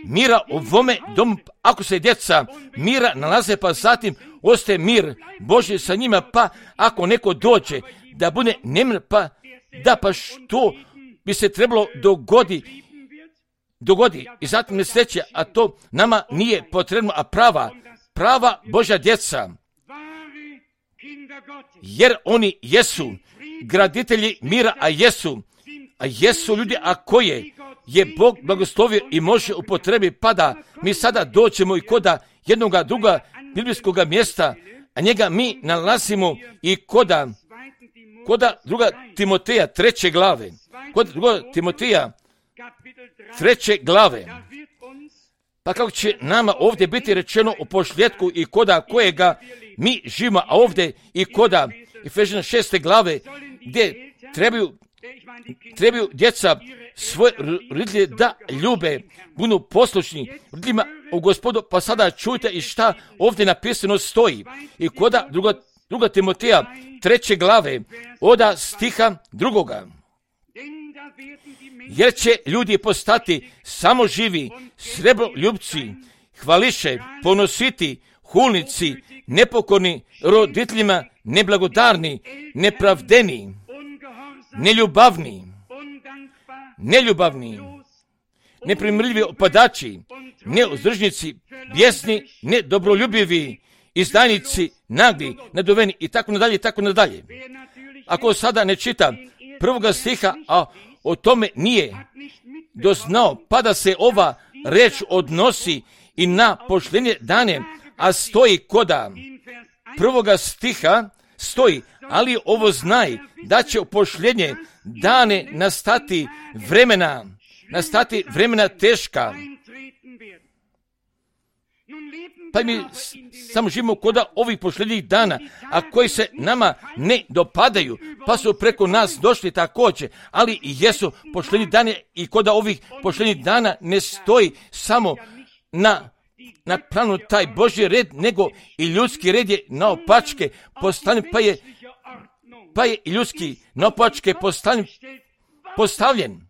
mira u ovome domu, ako se djeca mira nalaze, pa zatim ostaje mir Božji sa njima, pa ako neko dođe da bude nemir, pa da pa što bi se trebalo dogodi, dogodi i zatim nesreće, a to nama nije potrebno, a prava, prava Božja djeca, jer oni jesu graditelji mira, a jesu, a jesu ljudi, a koje je Bog blagoslovio i može upotrebi, pa da mi sada doćemo i koda jednoga druga biblijskog mjesta, a njega mi nalazimo i koda, koda druga Timoteja treće glave, kod druga Timoteja treće glave, pa kako će nama ovdje biti rečeno u pošljetku i koda kojega mi živimo, a ovdje i koda Efežana šeste glave, gdje trebaju, trebaju djeca svoje roditelje da ljube, budu poslušni roditeljima u Gospodu, pa sada čujte i šta ovdje napisano stoji. I koda druga, druga Timoteja treće glave, oda stiha drugoga. Jer će ljudi postati samo živi, srebroljubci, hvališe, ponositi, hulnici, nepokorni, roditeljima neblagodarni, nepravdeni, neljubavni, neljubavni, neprimrljivi opadači, neuzdržnici, bijesni, nedobroljubivi, izdajnici, nagli, naduveni i tako nadalje, i tako nadalje. Ako sada ne čita prvoga stiha, a o tome nije doznao, pa da se ova reč odnosi i na pošljenje dane, a stoji koda prvoga stiha, stoji, ali ovo znaj, da će u pošljenje dane nastati vremena, nastati vremena teška. Pa mi samo živimo koda ovih pošljednjih dana, a koji se nama ne dopadaju, pa su preko nas došli također, ali i jesu pošljednji dani i koda ovih pošljednjih dana ne stoji samo na na planu taj Božji red, nego i ljudski red je naopačke postavljen, pa je, pa je i ljudski naopačke postavljen, postavljen.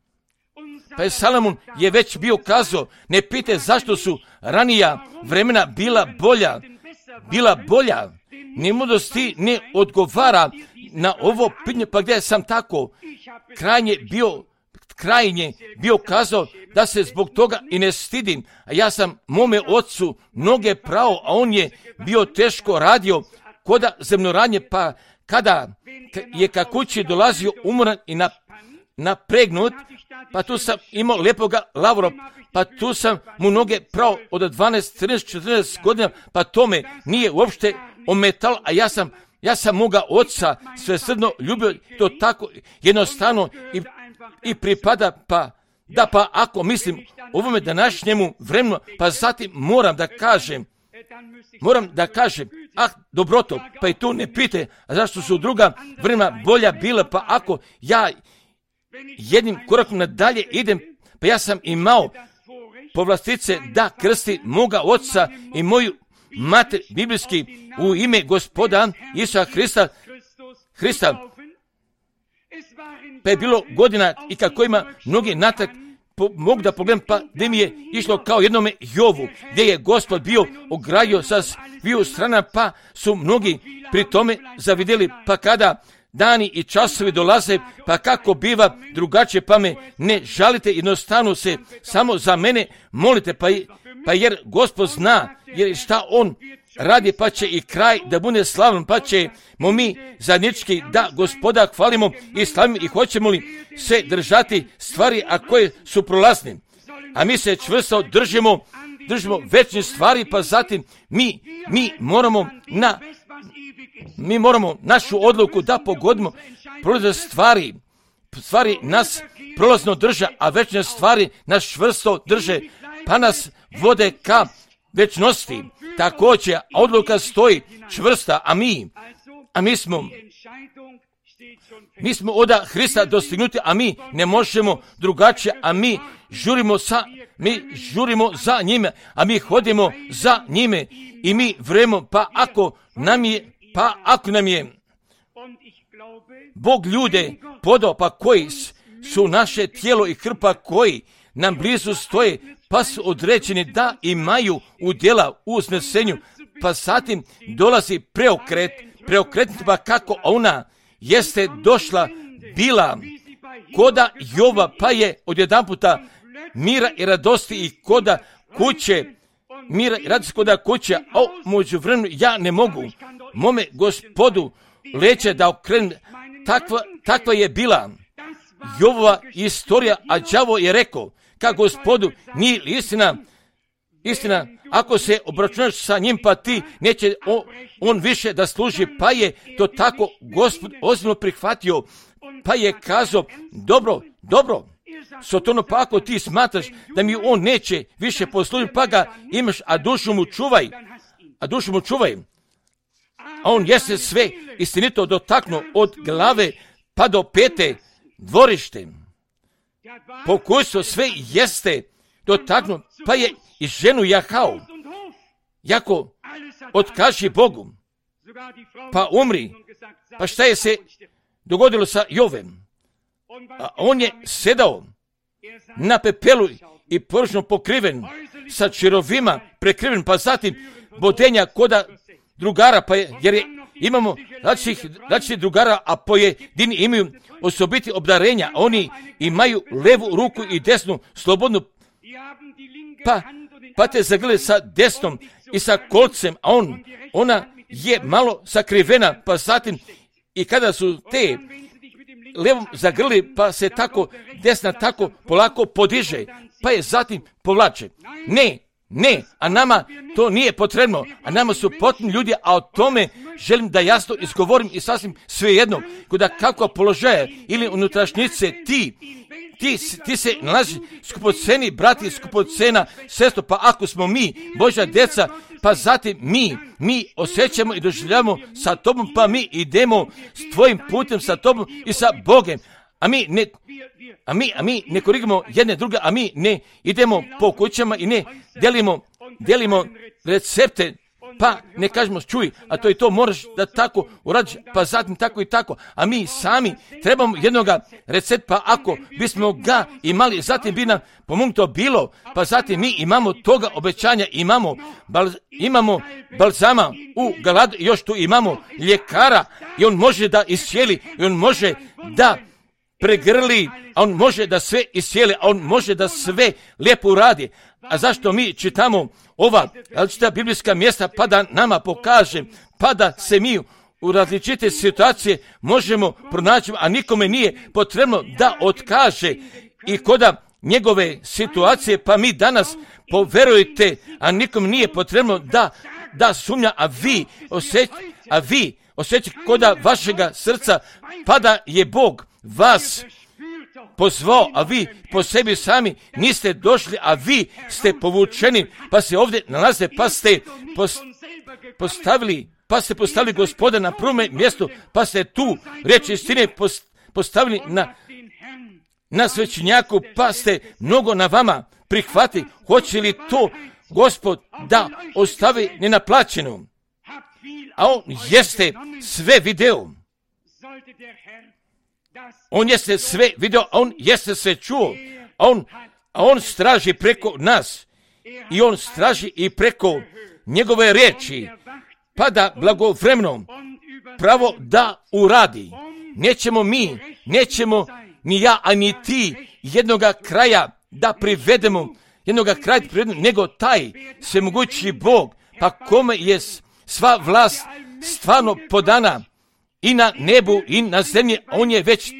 Pa je Salomon je već bio kazao, ne pite zašto su ranija vremena bila bolja, bila bolja. Ni mudrosti ne odgovara na ovo pitanje, pa gdje sam tako krajnje bio, krajnje bio kazao da se zbog toga i ne stidim, a ja sam mome ocu mnoge pravo, a on je bio teško radio koda zemljoradnje, pa kada je ka kući dolazio umoran i napregnut, pa tu sam imao lepoga lavora, pa tu sam mu noge pravo od dvanaest, trinaest, četrnaest godina, pa to me nije uopšte ometalo, a ja sam, ja sam moga oca svesrdno ljubio, to tako jednostavno i, i pripada, pa da pa ako mislim ovome današnjemu vremenu, pa zatim moram da kažem, moram da kažem, ah, dobroto, pa i tu ne pite, a zašto su druga vremena bolja bila, pa ako ja jednim korakom nadalje idem, pa ja sam imao povlastice da krsti moga oca i moju mater biblijski u ime Gospoda Isusa Hrista, Hrista. Pa je bilo godina i kako ima mnogi natak, po, mogu da pogledam, pa gdje mi je išlo kao jednome Jovu, gdje je Gospod bio ogradio sa sviju strana, pa su mnogi pri tome zavidjeli, pa kada dani i časovi dolaze, pa kako biva drugačije, pa me ne žalite, jednostavno se samo za mene molite, pa, pa jer Gospod zna, jer šta on radi, pa će i kraj da bude slavan, pa ćemo mi zajednički da Gospoda hvalimo i slavimo i hoćemo li se držati stvari, a koje su prolazne. A mi se čvrsto držimo, držimo večne stvari, pa zatim mi, mi moramo na mi moramo našu odluku da pogodimo prolazne stvari. Stvari nas prolazno drže, a večne stvari nas čvrsto drže, pa nas vode ka večnosti. Također odluka stoji čvrsta, a mi, a mi smo, mi smo od Hrista dostignuti, a mi ne možemo drugačije, a mi žurimo sa, mi žurimo za njime, a mi hodimo za njime i mi vremo, pa ako nam je, pa ako nam je Bog ljude podao, pa koji su naše tijelo i krpa koji nam blizu stoje, pa su određeni da imaju udjela u uznesenju, pa zatim dolazi preokret, preokret, pa kako ona jeste došla, bila koda Jova, pa je odjedanputa mira i radosti i koda kuće, mira i radosti koda kuće, a u međuvremenu ja ne mogu mome Gospodu leće da okrenem. Takva, takva je bila Jovova istorija, a đavo je rekao, ka Gospodu, nije istina, istina, ako se obračunaš sa njim, pa ti neće on, on više da služi, pa je to tako Gospod ozbiljno prihvatio, pa je kazao, dobro, dobro, Sotono, pa ako ti smatraš da mi on neće više poslužiti, pa ga imaš, a dušu mu čuvaj, a dušu mu čuvaj. A on jeste sve istinito dotaknuo od glave pa do pete dvorište. Pokušao sve jeste dotaknuo, pa je i ženu jahao. Jako otkaži Bogu, pa umri. Pa šta je se dogodilo sa Jovem? A on je sedao na pepelu i površno pokriven, sa čirovima prekriven, pa zatim bodenja koda drugara, pa je, jer je, imamo različitih drugara, a pojedini imaju osobiti obdarenja, oni imaju levu ruku i desnu slobodnu, pa, pa te zagrle sa desnom i sa kolcem, a on, ona je malo sakrivena, pa zatim i kada su te levom zagrli, pa se tako desna tako polako podiže, pa je zatim povlače. Ne, ne, a nama to nije potrebno, a nama su potrebni ljudi, a o tome želim da jasno izgovorim i sasvim svejedno, kuda kako položaja ili unutrašnjice ti, ti, ti se nalazi skupoceni brati, skupocena sestro, pa ako smo mi Božja djeca, pa zatim mi, mi osjećamo i doživljamo sa tobom, pa mi idemo s tvojim putem, sa tobom i sa Bogem. A mi ne, a mi, a mi ne korigamo jedne druge, a mi ne idemo po kućama i ne delimo, delimo recepte, pa ne kažemo čuj, a to i to moraš da tako uradiš, pa zatim tako i tako. A mi sami trebamo jednoga recepta, pa ako bismo ga imali, zatim bi nam pomognuto bilo, pa zatim mi imamo toga obećanja, imamo, bal, imamo balzama u Galadu i još tu imamo ljekara i on može da iscijeli i on može da pregrli, a on može da sve iscijeli, a on može da sve lijepo uradi. A zašto mi čitamo ova različita biblijska mjesta, pa da nama pokaže, pa da se mi u različite situacije možemo pronaći, a nikome nije potrebno da otkaže i koda njegove situacije, pa mi danas poverujte, a nikom nije potrebno da, da sumnja, a vi osjećate, a vi osjećate koda vašega srca, pa da je Bog vas pozvao, a vi po sebi sami niste došli, a vi ste povučeni, pa se ovdje nalaze, pa ste postavili, pa ste postavili Gospoda na prvom mjestu, pa ste tu riječ istine postavili na, na svećenjaku, pa ste mnogo na vama prihvati. Hoće li to Gospod da ostavi nenaplaćeno? A on jeste sve video. On jeste sve video, a on jeste sve čuo. A on, a on straži preko nas. I on straži i preko njegove riječi. Pa da blagovremeno pravo da uradi. Nećemo mi, nećemo ni ja, a ni ti jednoga kraja da privedemo, jednoga kraja privedemo, nego taj svemogući Bog, pa kome je sva vlast stvarno podana i na nebu i na zemlji, on je već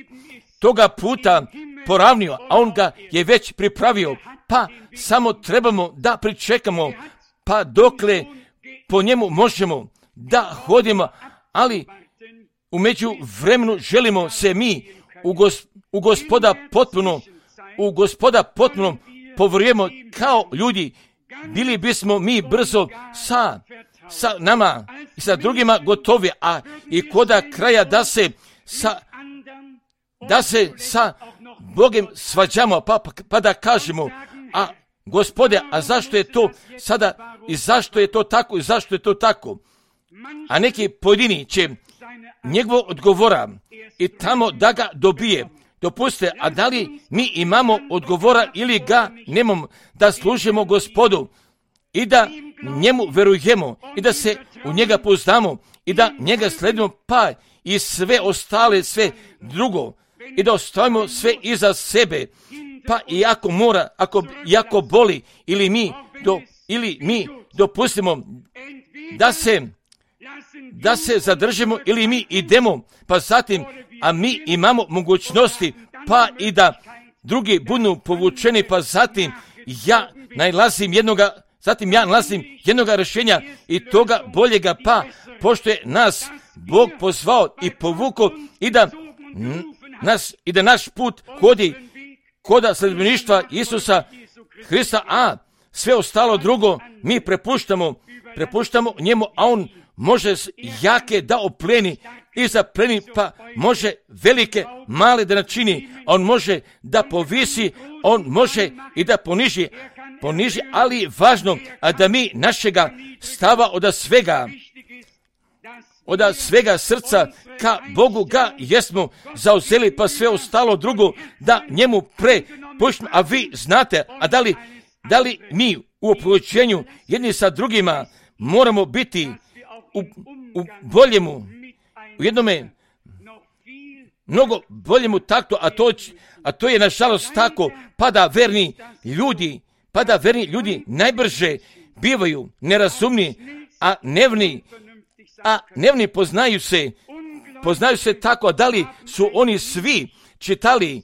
toga puta poravnio, a on ga je već pripravio, pa samo trebamo da pričekamo, pa dokle po njemu možemo da hodimo, ali u međuvremenu želimo se mi u, gos, u gospoda potpuno, u gospoda potpuno povjerujemo kao ljudi. Bili bismo mi brzo sa, sa nama i sa drugima gotovi, a i koda kraja da se sa, da se sa Bogom svađamo, pa, pa, pa da kažemo, a Gospode, a zašto je to sada i zašto je to tako i zašto je to tako? A neki pojedini će njegovo odgovora i tamo da ga dobije. Dopustite, a da li mi imamo odgovora ili ga nemamo, da služimo Gospodu i da njemu verujemo i da se u njega pouzdamo i da njega sledimo, pa i sve ostale, sve drugo, i da ostavimo sve iza sebe, pa i ako mora, ako, i ako boli, ili mi, do, ili mi dopustimo da se da se zadržimo ili mi idemo, pa zatim, a mi imamo mogućnosti, pa i da drugi budu povučeni, pa zatim ja nalazim jednoga, zatim ja nalazim jednoga rješenja i toga boljega, pa pošto je nas Bog pozvao i povukao i da nas i da naš put hodi koda sledbeništva Isusa Hrista, a sve ostalo drugo mi prepuštamo, prepuštamo njemu, a on može jake da opleni i zapleni, pa može velike, male da načini, on može da povisi, on može i da poniži, poniži, ali je važno a da mi našega stava od svega, od svega srca ka Bogu ga jesmo zauzeli, pa sve ostalo drugo da njemu prepuštimo. A vi znate, a da li, da li mi u oplođenju jedni sa drugima moramo biti u, u boljemu, u jednome mnogo boljemu taktu, a to, a to je nažalost tako, pa da verni ljudi, pa da verni ljudi najbrže bivaju nerazumni, a nevni, a nevni poznaju se, poznaju se tako, da li su oni svi čitali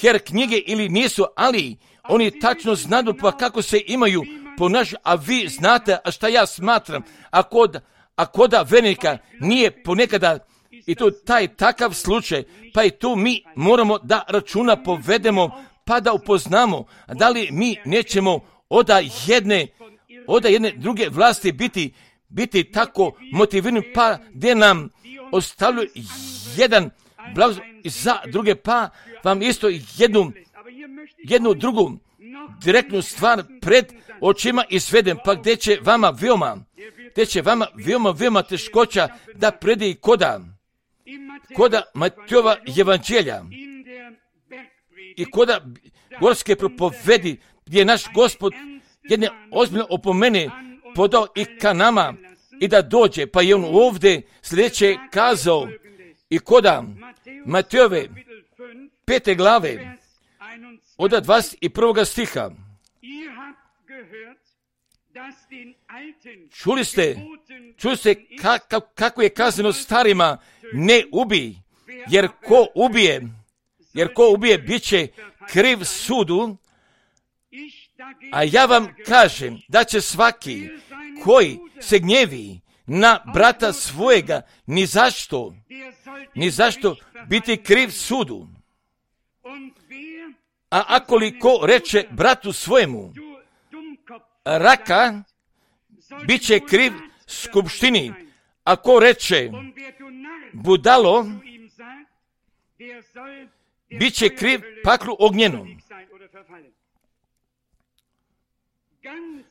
her knjige ili nisu, ali oni tačno znaju pa kako se imaju ponašati, a vi znate, a šta ja smatram, a kod, a koda vernika nije ponekada i to taj takav slučaj, pa i tu mi moramo da računa povedemo, pa da upoznamo, a da li mi nećemo od jedne, od jedne druge vlasti biti, biti tako motivirani, pa gdje nam ostavljaju jedan blagoslov za druge, pa vam isto jednu, jednu drugu direktnu stvar pred očima izvedem, pa gdje će vama veoma, gdje će vama veoma, veoma teškoća da predi koda, koda Matejova evanđelja i koda gorske propovedi, gdje je naš Gospod jedne ozbiljne opomene podao i ka nama i da dođe, pa je on ovdje sljedeće kazao i koda Matejove pete glave od dvadeset prvog stiha. Čuli ste, čuli ste kako, kako je kazano starima, ne ubij, jer ko ubije, jer ko ubije bit će kriv sudu, a ja vam kažem da će svaki koji se gnjevi na brata svojega ni zašto, ni zašto biti kriv sudu. A ako li ko reče bratu svojemu raka, bit će kriv skupštini. Ako reče budalo, bit će kriv paklu ognjenom.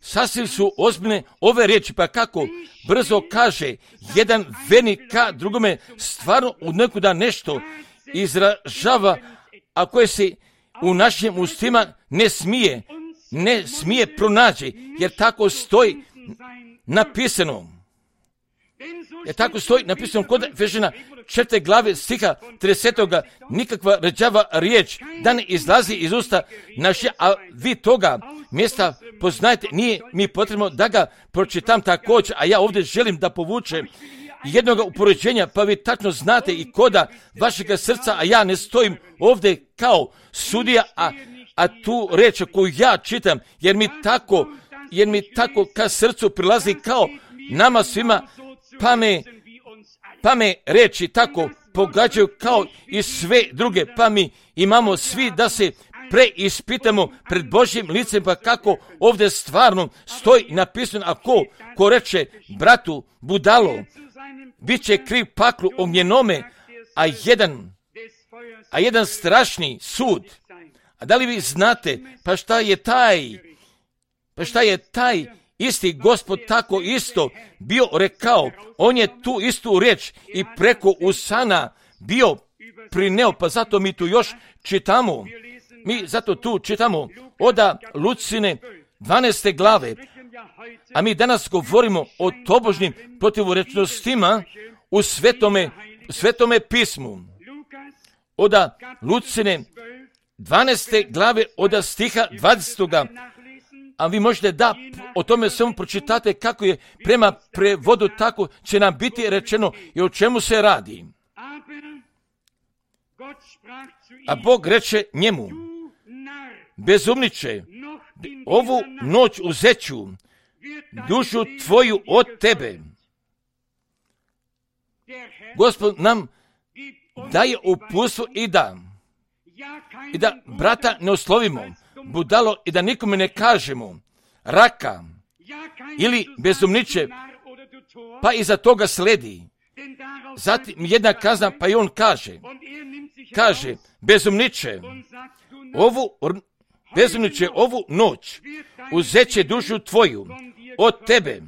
Sasvim su ozbiljne ove riječi, pa kako brzo kaže jedan vernik ka drugome, stvarno u nekuda nešto izražava, a koje se u našim ustima ne smije, ne smije pronaći, jer tako stoji napisano. Jer tako stoji napisano kod Efežana četvrte glave stiha tridesetoga nikakva rđava riječ da ne izlazi iz usta naše, a vi toga mjesta poznajete, nije mi potrebno da ga pročitam također, a ja ovdje želim da povučem jednoga upoređenja, pa vi tačno znate i koda vašega srca, a ja ne stojim ovdje kao sudija, a, a tu reč koju ja čitam, jer mi tako, jer mi tako ka srcu prilazi kao nama svima, pa me, pa me reči tako pogađaju kao i sve druge, pa mi imamo svi da se preispitamo pred Božjim licem, pa kako ovdje stvarno stoji napisano, a ko, ko reče bratu budalo, bit će kriv paklu ognjenome, a jedan, a jedan strašni sud. A da li vi znate, pa šta je taj, pa šta je taj isti Gospod tako isto bio rekao, on je tu istu riječ i preko usana bio prineo, pa zato mi tu još čitamo, mi zato tu čitamo oda Lucine dvanaeste glave, a mi danas govorimo o tobožnim protivorečnostima u svetome, svetome pismu. Oda Lucine dvanaeste glave oda stiha dvadesetoga, a vi možete da o tome samo pročitate kako je prema prevodu, tako će nam biti rečeno i o čemu se radi. A Bog reče njemu, bezumniče, ovu noć uzeću dušu tvoju od tebe. Gospod nam daje uputstvo i da, i da brata ne oslovimo, budalo, i da nikome ne kažemo raka ili bezumniče, pa iza toga sledi. Zatim jedna kazna, pa i on kaže, kaže, bezumniče, ovu, bezumniče, ovu noć uzeće dušu tvoju od tebe.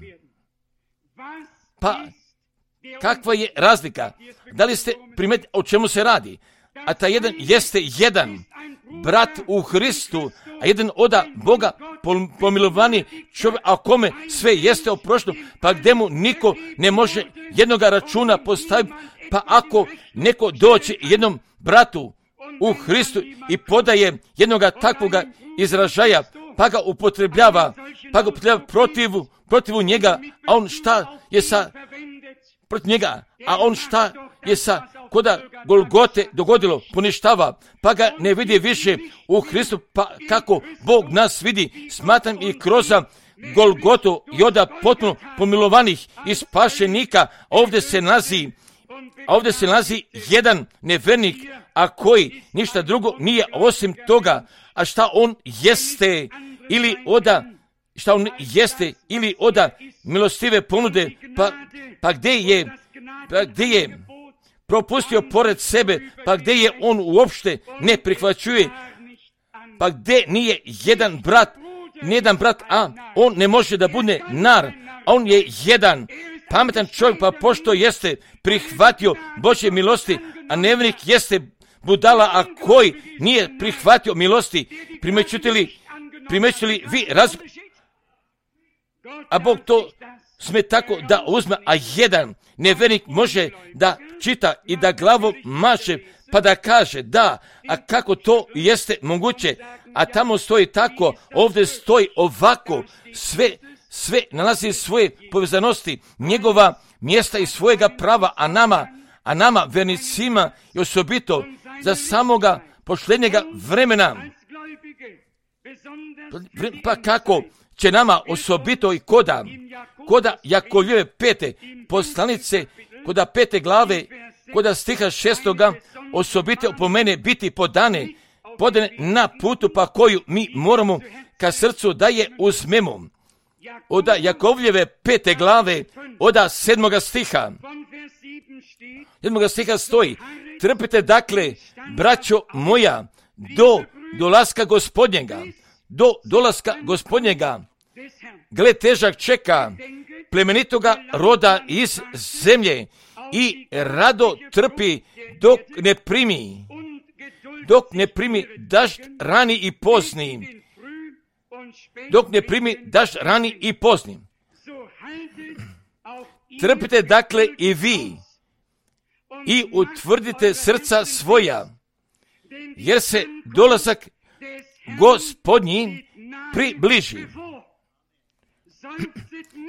Pa, kakva je razlika? Da li ste primetili o čemu se radi? A ta jedan jeste jedan brat u Hristu, a jedan oda Boga pomilovani čovjek, a kome sve jeste oprošteno, pa gdje mu niko ne može jednoga računa postaviti, pa ako neko doće jednom bratu u Hristu i podaje jednoga takvoga izražaja, pa ga upotrebljava, pa ga upotrebljava protivu, protivu njega, a on šta je sa protiv njega, a on šta je sa koda Golgote dogodilo, poništava, pa ga ne vidi više u Hristu, pa kako Bog nas vidi, smatram i kroz Golgotu i oda potpuno pomilovanih i spašenika, ovdje se nalazi, ovdje se nalazi jedan nevernik, a koji ništa drugo nije osim toga, a šta on jeste ili oda, šta on jeste ili oda milostive ponude, pa, pa gdje je, pa gdje je propustio pored sebe, pa gdje je on uopšte ne prihvaćuje, pa gdje nije jedan brat, nijedan brat, a on ne može da bude nar, a on je jedan pametan čovjek, pa pošto jeste prihvatio Božje milosti, a nevjernik jeste budala, a koji nije prihvatio milosti, primećujete li, primećujete li vi razliku? A Bog to sme tako da uzme, a jedan nevjernik može da čita i da glavom maše, pa da kaže da, a kako to jeste moguće, a tamo stoji tako, ovdje stoji ovako, sve, sve nalazi svoje povezanosti, njegova mjesta i svojega prava, a nama, a nama vernicima i osobito za samoga posljednjega vremena, pa kako će nama osobito i koda, koda Jakovljeve pete poslanice, koda pete glave, koda stiha šestoga, osobito po mene biti podane, podane na putu pa koju mi moramo ka srcu da je uzmemo. Oda Jakovljeve pete glave, oda sedmoga stiha, sedmoga stiha stoji, Trpite dakle, braćo moja, do dolaska Gospodnjega, do dolaska Gospodnjega. Gle, težak čeka plemenitoga roda iz zemlje i rado trpi dok ne primi, dok ne primi dažd rani i pozni, dok ne primi dažd rani i pozni. Trpite dakle i vi i utvrdite srca svoja, jer se dolazak Gospodnji približi.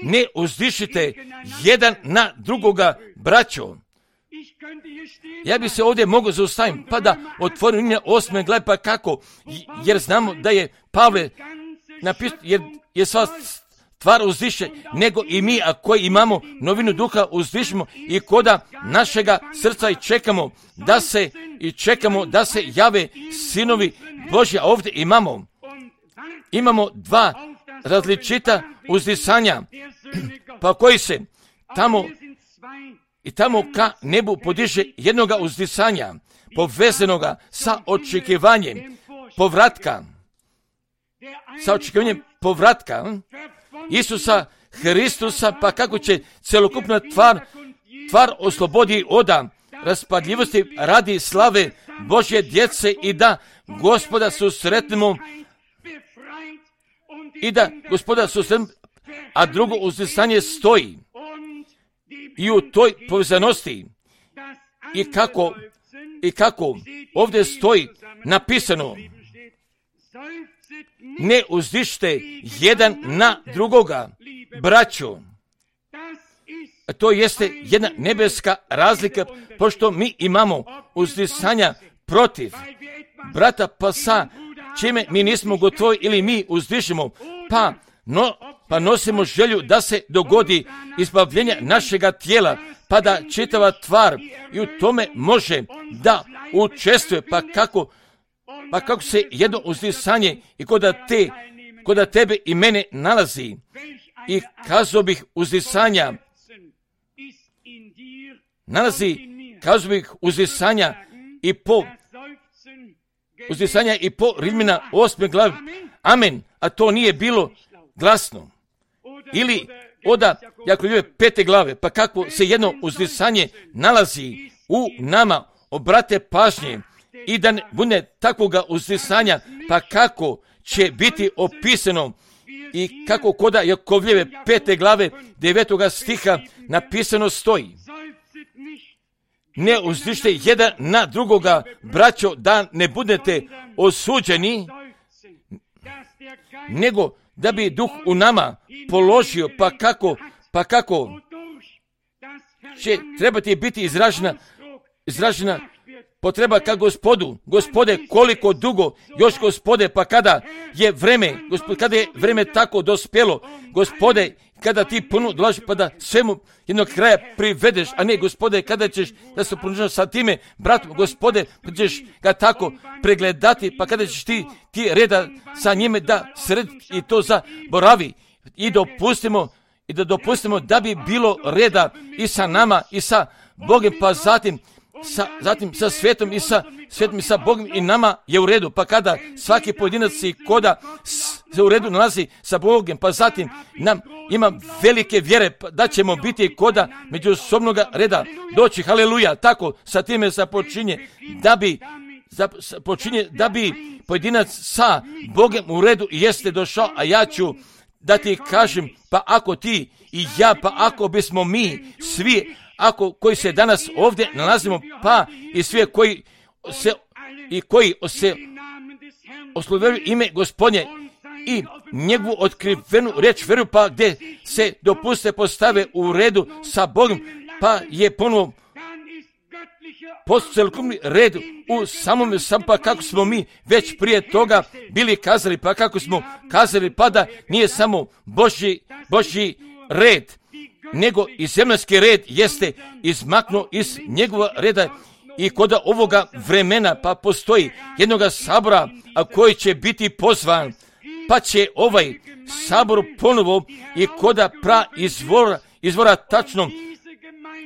Ne uzdišite jedan na drugoga, braćo. Ja bi se ovdje mogao zaustaviti, pa da otvorim osme glave, pa kako, jer znamo da je Pavle napisao, jer je sva stvar uzdiše, nego i mi, a koji imamo novinu duha, uzdišimo i koda našega srca i čekamo da se, i čekamo da se jave sinovi Božji. A ovdje imamo, imamo dva različita uzdisanja, pa koji se tamo i tamo ka nebu podiže jednoga uzdisanja, povezanoga sa očekivanjem povratka, sa očekivanjem povratka Isusa Hristusa, pa kako će celokupna tvar, tvar oslobodi oda raspadljivosti radi slave Božje djece i da Gospoda susretnemo i da Gospoda susretnemo, a drugo uzdisanje stoji i u toj povezanosti i kako, i kako ovdje stoji napisano, ne uzdište jedan na drugoga, braćo. To jeste jedna nebeska razlika, pošto mi imamo uzdisanja protiv brata, pa sa čime mi nismo gotovi ili mi uzdišemo, pa, no, pa nosimo želju da se dogodi izbavljenje našega tijela, pa da čitava tvar i u tome može da učestvuje, pa kako Pa kako se jedno uzdisanje i koda, te, koda tebe i mene nalazi i kazao bih uzdisanja, nalazi, kazao bih uzdisanja i po uzdisanja i po Rimljana osme glavi. Amen. A to nije bilo glasno. Ili oda Jakovljeve pete glave, pa kako se jedno uzdisanje nalazi u nama, obrate pažnje, i da ne bude takvoga uzdisanja, pa kako će biti opisano i kako koda Jakovljeve pete glave devetoga stiha napisano stoji. Ne uzdište jedan na drugoga, braćo, da ne budete osuđeni, nego da bi duh u nama položio, pa kako, pa kako će trebati biti izražena, izražena potreba ka Gospodu. Gospode, koliko dugo još, Gospode, pa kada je vreme, Gospode, kada je vreme tako dospjelo, Gospode, kada ti puno dolazi, pa da svemu jednog kraja privedeš, a ne, Gospode, kada ćeš da se ponuđaš sa time, bratom, Gospode, pa ćeš ga tako pregledati, pa kada ćeš ti, ti reda sa njime da sred i to zaboravi i dopustimo, i da dopustimo da bi bilo reda i sa nama i sa Bogom, pa zatim Sa, zatim sa svijetom i sa svijetom i sa Bogom i nama je u redu, pa kada svaki pojedinac i koda se u redu nalazi sa Bogom, pa zatim nam ima velike vjere da ćemo biti koda međusobnoga reda doći, haleluja, tako sa time započinje da bi započinje da bi pojedinac sa Bogom u redu jeste došao, a ja ću da ti kažem, pa ako ti i ja, pa ako bismo mi svi, ako koji se danas ovdje nalazimo, pa i svi koji se i koji se oslovljaju ime Gospodnje i njegovu otkrivenu riječ vjeru, pa gdje se dopuste postave u redu sa Bogom, pa je ponovo post celokupni red u samom sam, pa kako smo mi već prije toga bili kazali, pa kako smo kazali, pa da nije samo Božji, Božji red, nego i zemaljski red jeste izmaknuo iz njegova reda i kod ovoga vremena, pa postoji jednoga sabora, a koji će biti pozvan, pa će ovaj sabor ponovo i koda pra izvora, izvora tačnom,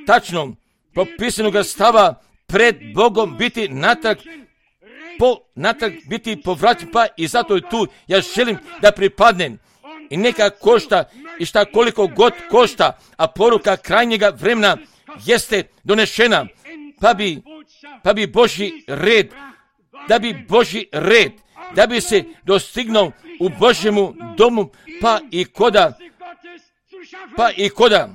tačnom propisanoga stava pred Bogom biti natrag, po, natrag biti povraćen, pa i zato je tu ja želim da pripadnem. I neka košta i šta koliko god košta, a poruka krajnjega vremena jeste donešena, pa bi, pa bi Božji red, da bi Božji red, da bi se dostignuo u Božjemu domu, pa i koda, pa i koda.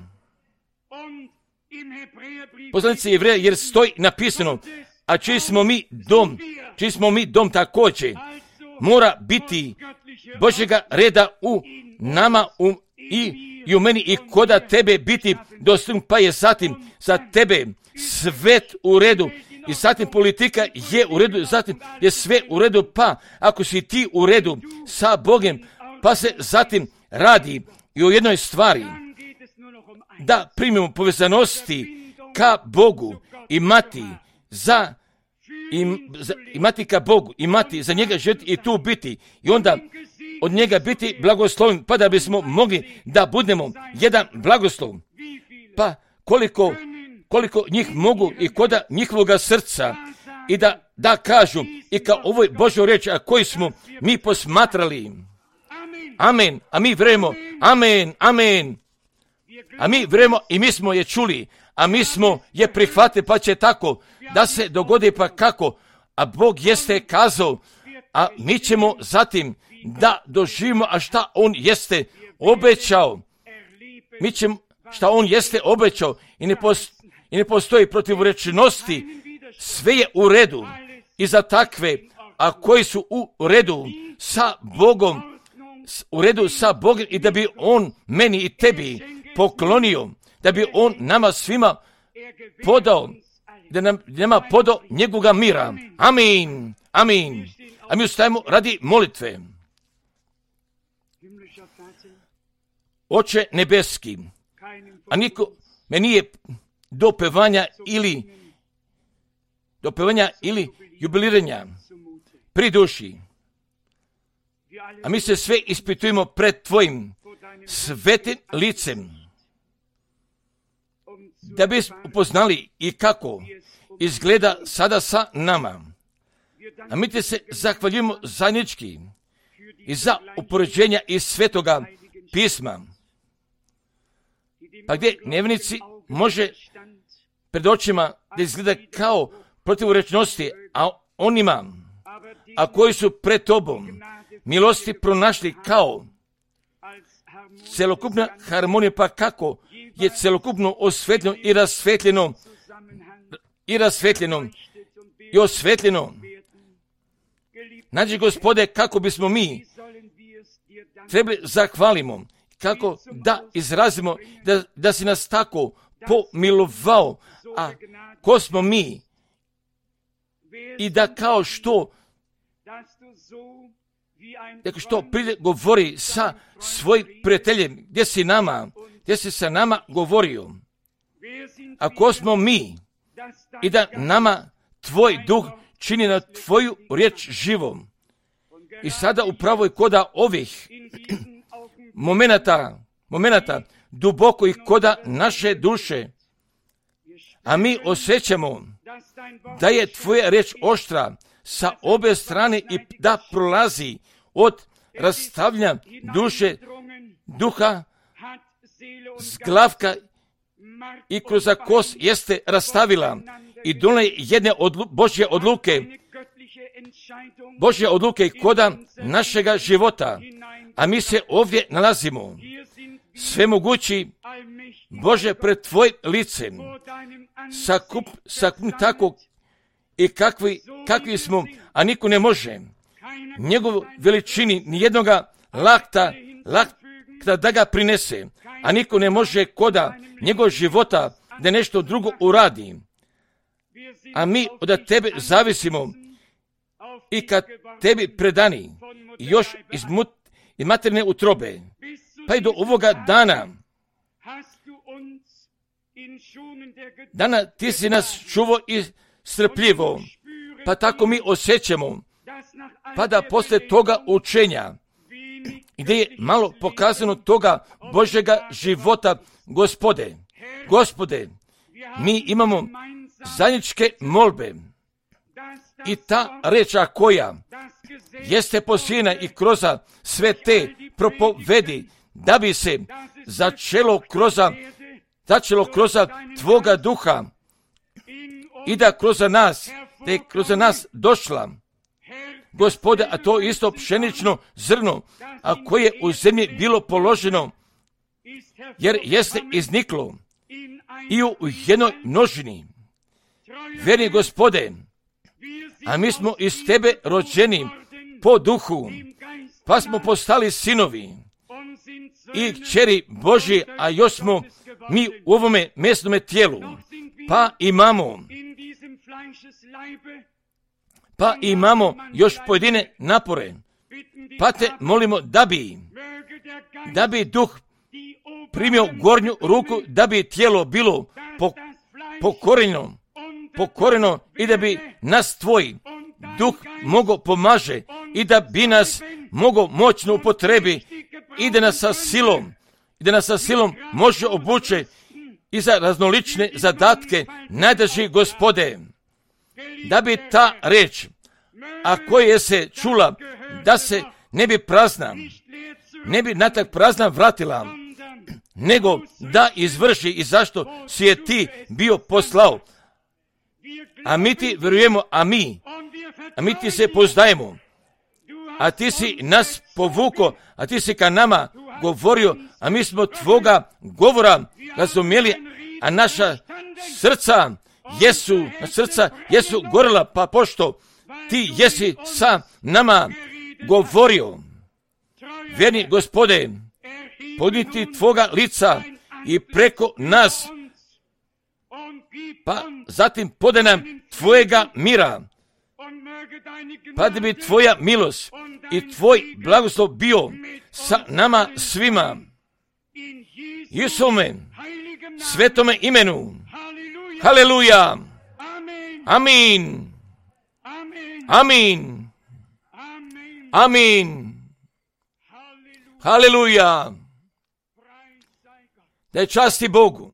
Poslanici Jevreja, jer stoji napisano, a čiji smo mi dom, čiji smo mi dom također, mora biti Božjega reda u nama u, i, i u meni i koda tebe biti dostignut, pa je zatim za tebe svet u redu i zatim politika je u redu, zatim je sve u redu, pa ako si ti u redu sa Bogom, pa se zatim radi i o jednoj stvari, da primimo povezanosti ka Bogu, imati za, im, za imati ka Bogu, imati za njega živjeti i tu biti i onda od njega biti blagosloven, pa da bismo mogli da budemo jedan blagoslov. Pa koliko, koliko njih mogu i koda njihovoga srca i da, da kažu i kao ovoj Božoj riječi, a koji smo mi posmatrali. Amen. A mi vjerujemo. Amen. Amen. A mi vjerujemo i mi smo je čuli, a mi smo je prihvatili, pa će tako da se dogodi, pa kako. A Bog jeste kazao, a mi ćemo zatim da doživimo, a šta On jeste obećao. Mi ćemo, šta On jeste obećao i ne, post, i ne postoji protivrečnosti, sve je u redu i za takve, a koji su u redu sa Bogom, u redu sa Bogom i da bi On meni i tebi poklonio, da bi On nama svima podao, da nam nama podao njegovoga mira. Amin. Amin. A mi ustajemo radi molitve. Oče nebeski, a niko me nije do pevanja ili do pevanja ili jubiliranja pri duši. A mi se sve ispitujemo pred tvojim svetim licem, da bi upoznali i kako izgleda sada sa nama. A mi te se zahvaljujemo zajednički i za upoređenja iz Svetoga pisma, pa gdje nevjernici može pred očima da izgleda kao protivrečnosti, a onima, a koji su pred tobom milosti pronašli kao celokupna harmonija, pa kako je celokupno osvetljeno i rasvetljeno i rasvetljeno i osvetljeno. Znači, Gospode, kako bismo mi trebali zahvalimo, kako da izrazimo da, da si nas tako pomilovao, a ko smo mi i da kao što Dakle, što prije govori sa svojim prijateljem, gdje si nama, gdje si sa nama govorio. Ako smo mi i da nama tvoj duh čini na tvoju riječ živom. I sada upravo i koda ovih momenata, momenata duboko i koda naše duše, a mi osjećamo da je tvoja riječ oštra sa obje strane i da prolazi od rastavljanja duše, duha, zglavka i kroz kos jeste rastavila i dole jedne odlu, Božje odluke, Božje odluke koda našega života, a mi se ovdje nalazimo. Svemogući Bože pred tvojim licem, sakup, sakup tako i kakvi, kakvi smo, a niko ne može njegovu veličini nijednoga lakta, lakta da ga prinese, a niko ne može koda njegov života da nešto drugo uradi. A mi od tebe zavisimo i kad tebi predani i još iz, mut, iz materne utrobe, pa i do ovoga dana, dana ti si nas čuvo i strpljivo, pa tako mi osjećamo, pa da posle toga učenja, gdje je malo pokazano toga Božjega života, Gospode, Gospode, mi imamo zajedničke molbe. I ta reča koja jeste posijena i kroz sve te propovedi, da bi se začelo kroz, začelo kroz Tvoga duha i da kroz nas, da je kroz nas došla, Gospode, a to isto pšenično zrno, a koje je u zemlji bilo položeno, jer jeste izniklo i u jednoj množini. Vjerni Gospode, a mi smo iz Tebe rođeni po duhu, pa smo postali sinovi i kćeri Božji, a još smo mi u ovome mesnome tijelu, pa imamo pa imamo još pojedine napore, pa te molimo da bi da bi duh primio gornju ruku, da bi tijelo bilo pokoreno, pokoreno i da bi nas Tvoj duh mogao pomaže i da bi nas mogao moćno upotrebi i da nas sa silom, i da nas sa silom može obuče i za raznolične zadatke najdraži Gospode, da bi ta reč, a koja se čula, da se ne bi prazna, ne bi natak prazna vratila, nego da izvrši i zašto si je Ti bio poslao. A mi Ti vjerujemo, a mi, a mi Ti se poznajemo, a Ti si nas povuko, a Ti si ka nama govorio, a mi smo Tvoga govora razumjeli, a naša srca jesu, srca jesu gorila, pa pošto Ti jesi sa nama govorio. Vjerni Gospode, podniti Tvoga lica i preko nas, pa zatim podaj nam Tvojega mira, pa da bi Tvoja milost i Tvoj blagoslov bio sa nama svima. Isuse, svetome imenu. Haleluja. Amin. Amin. Amin. Haleluja. Da je časti Bogu.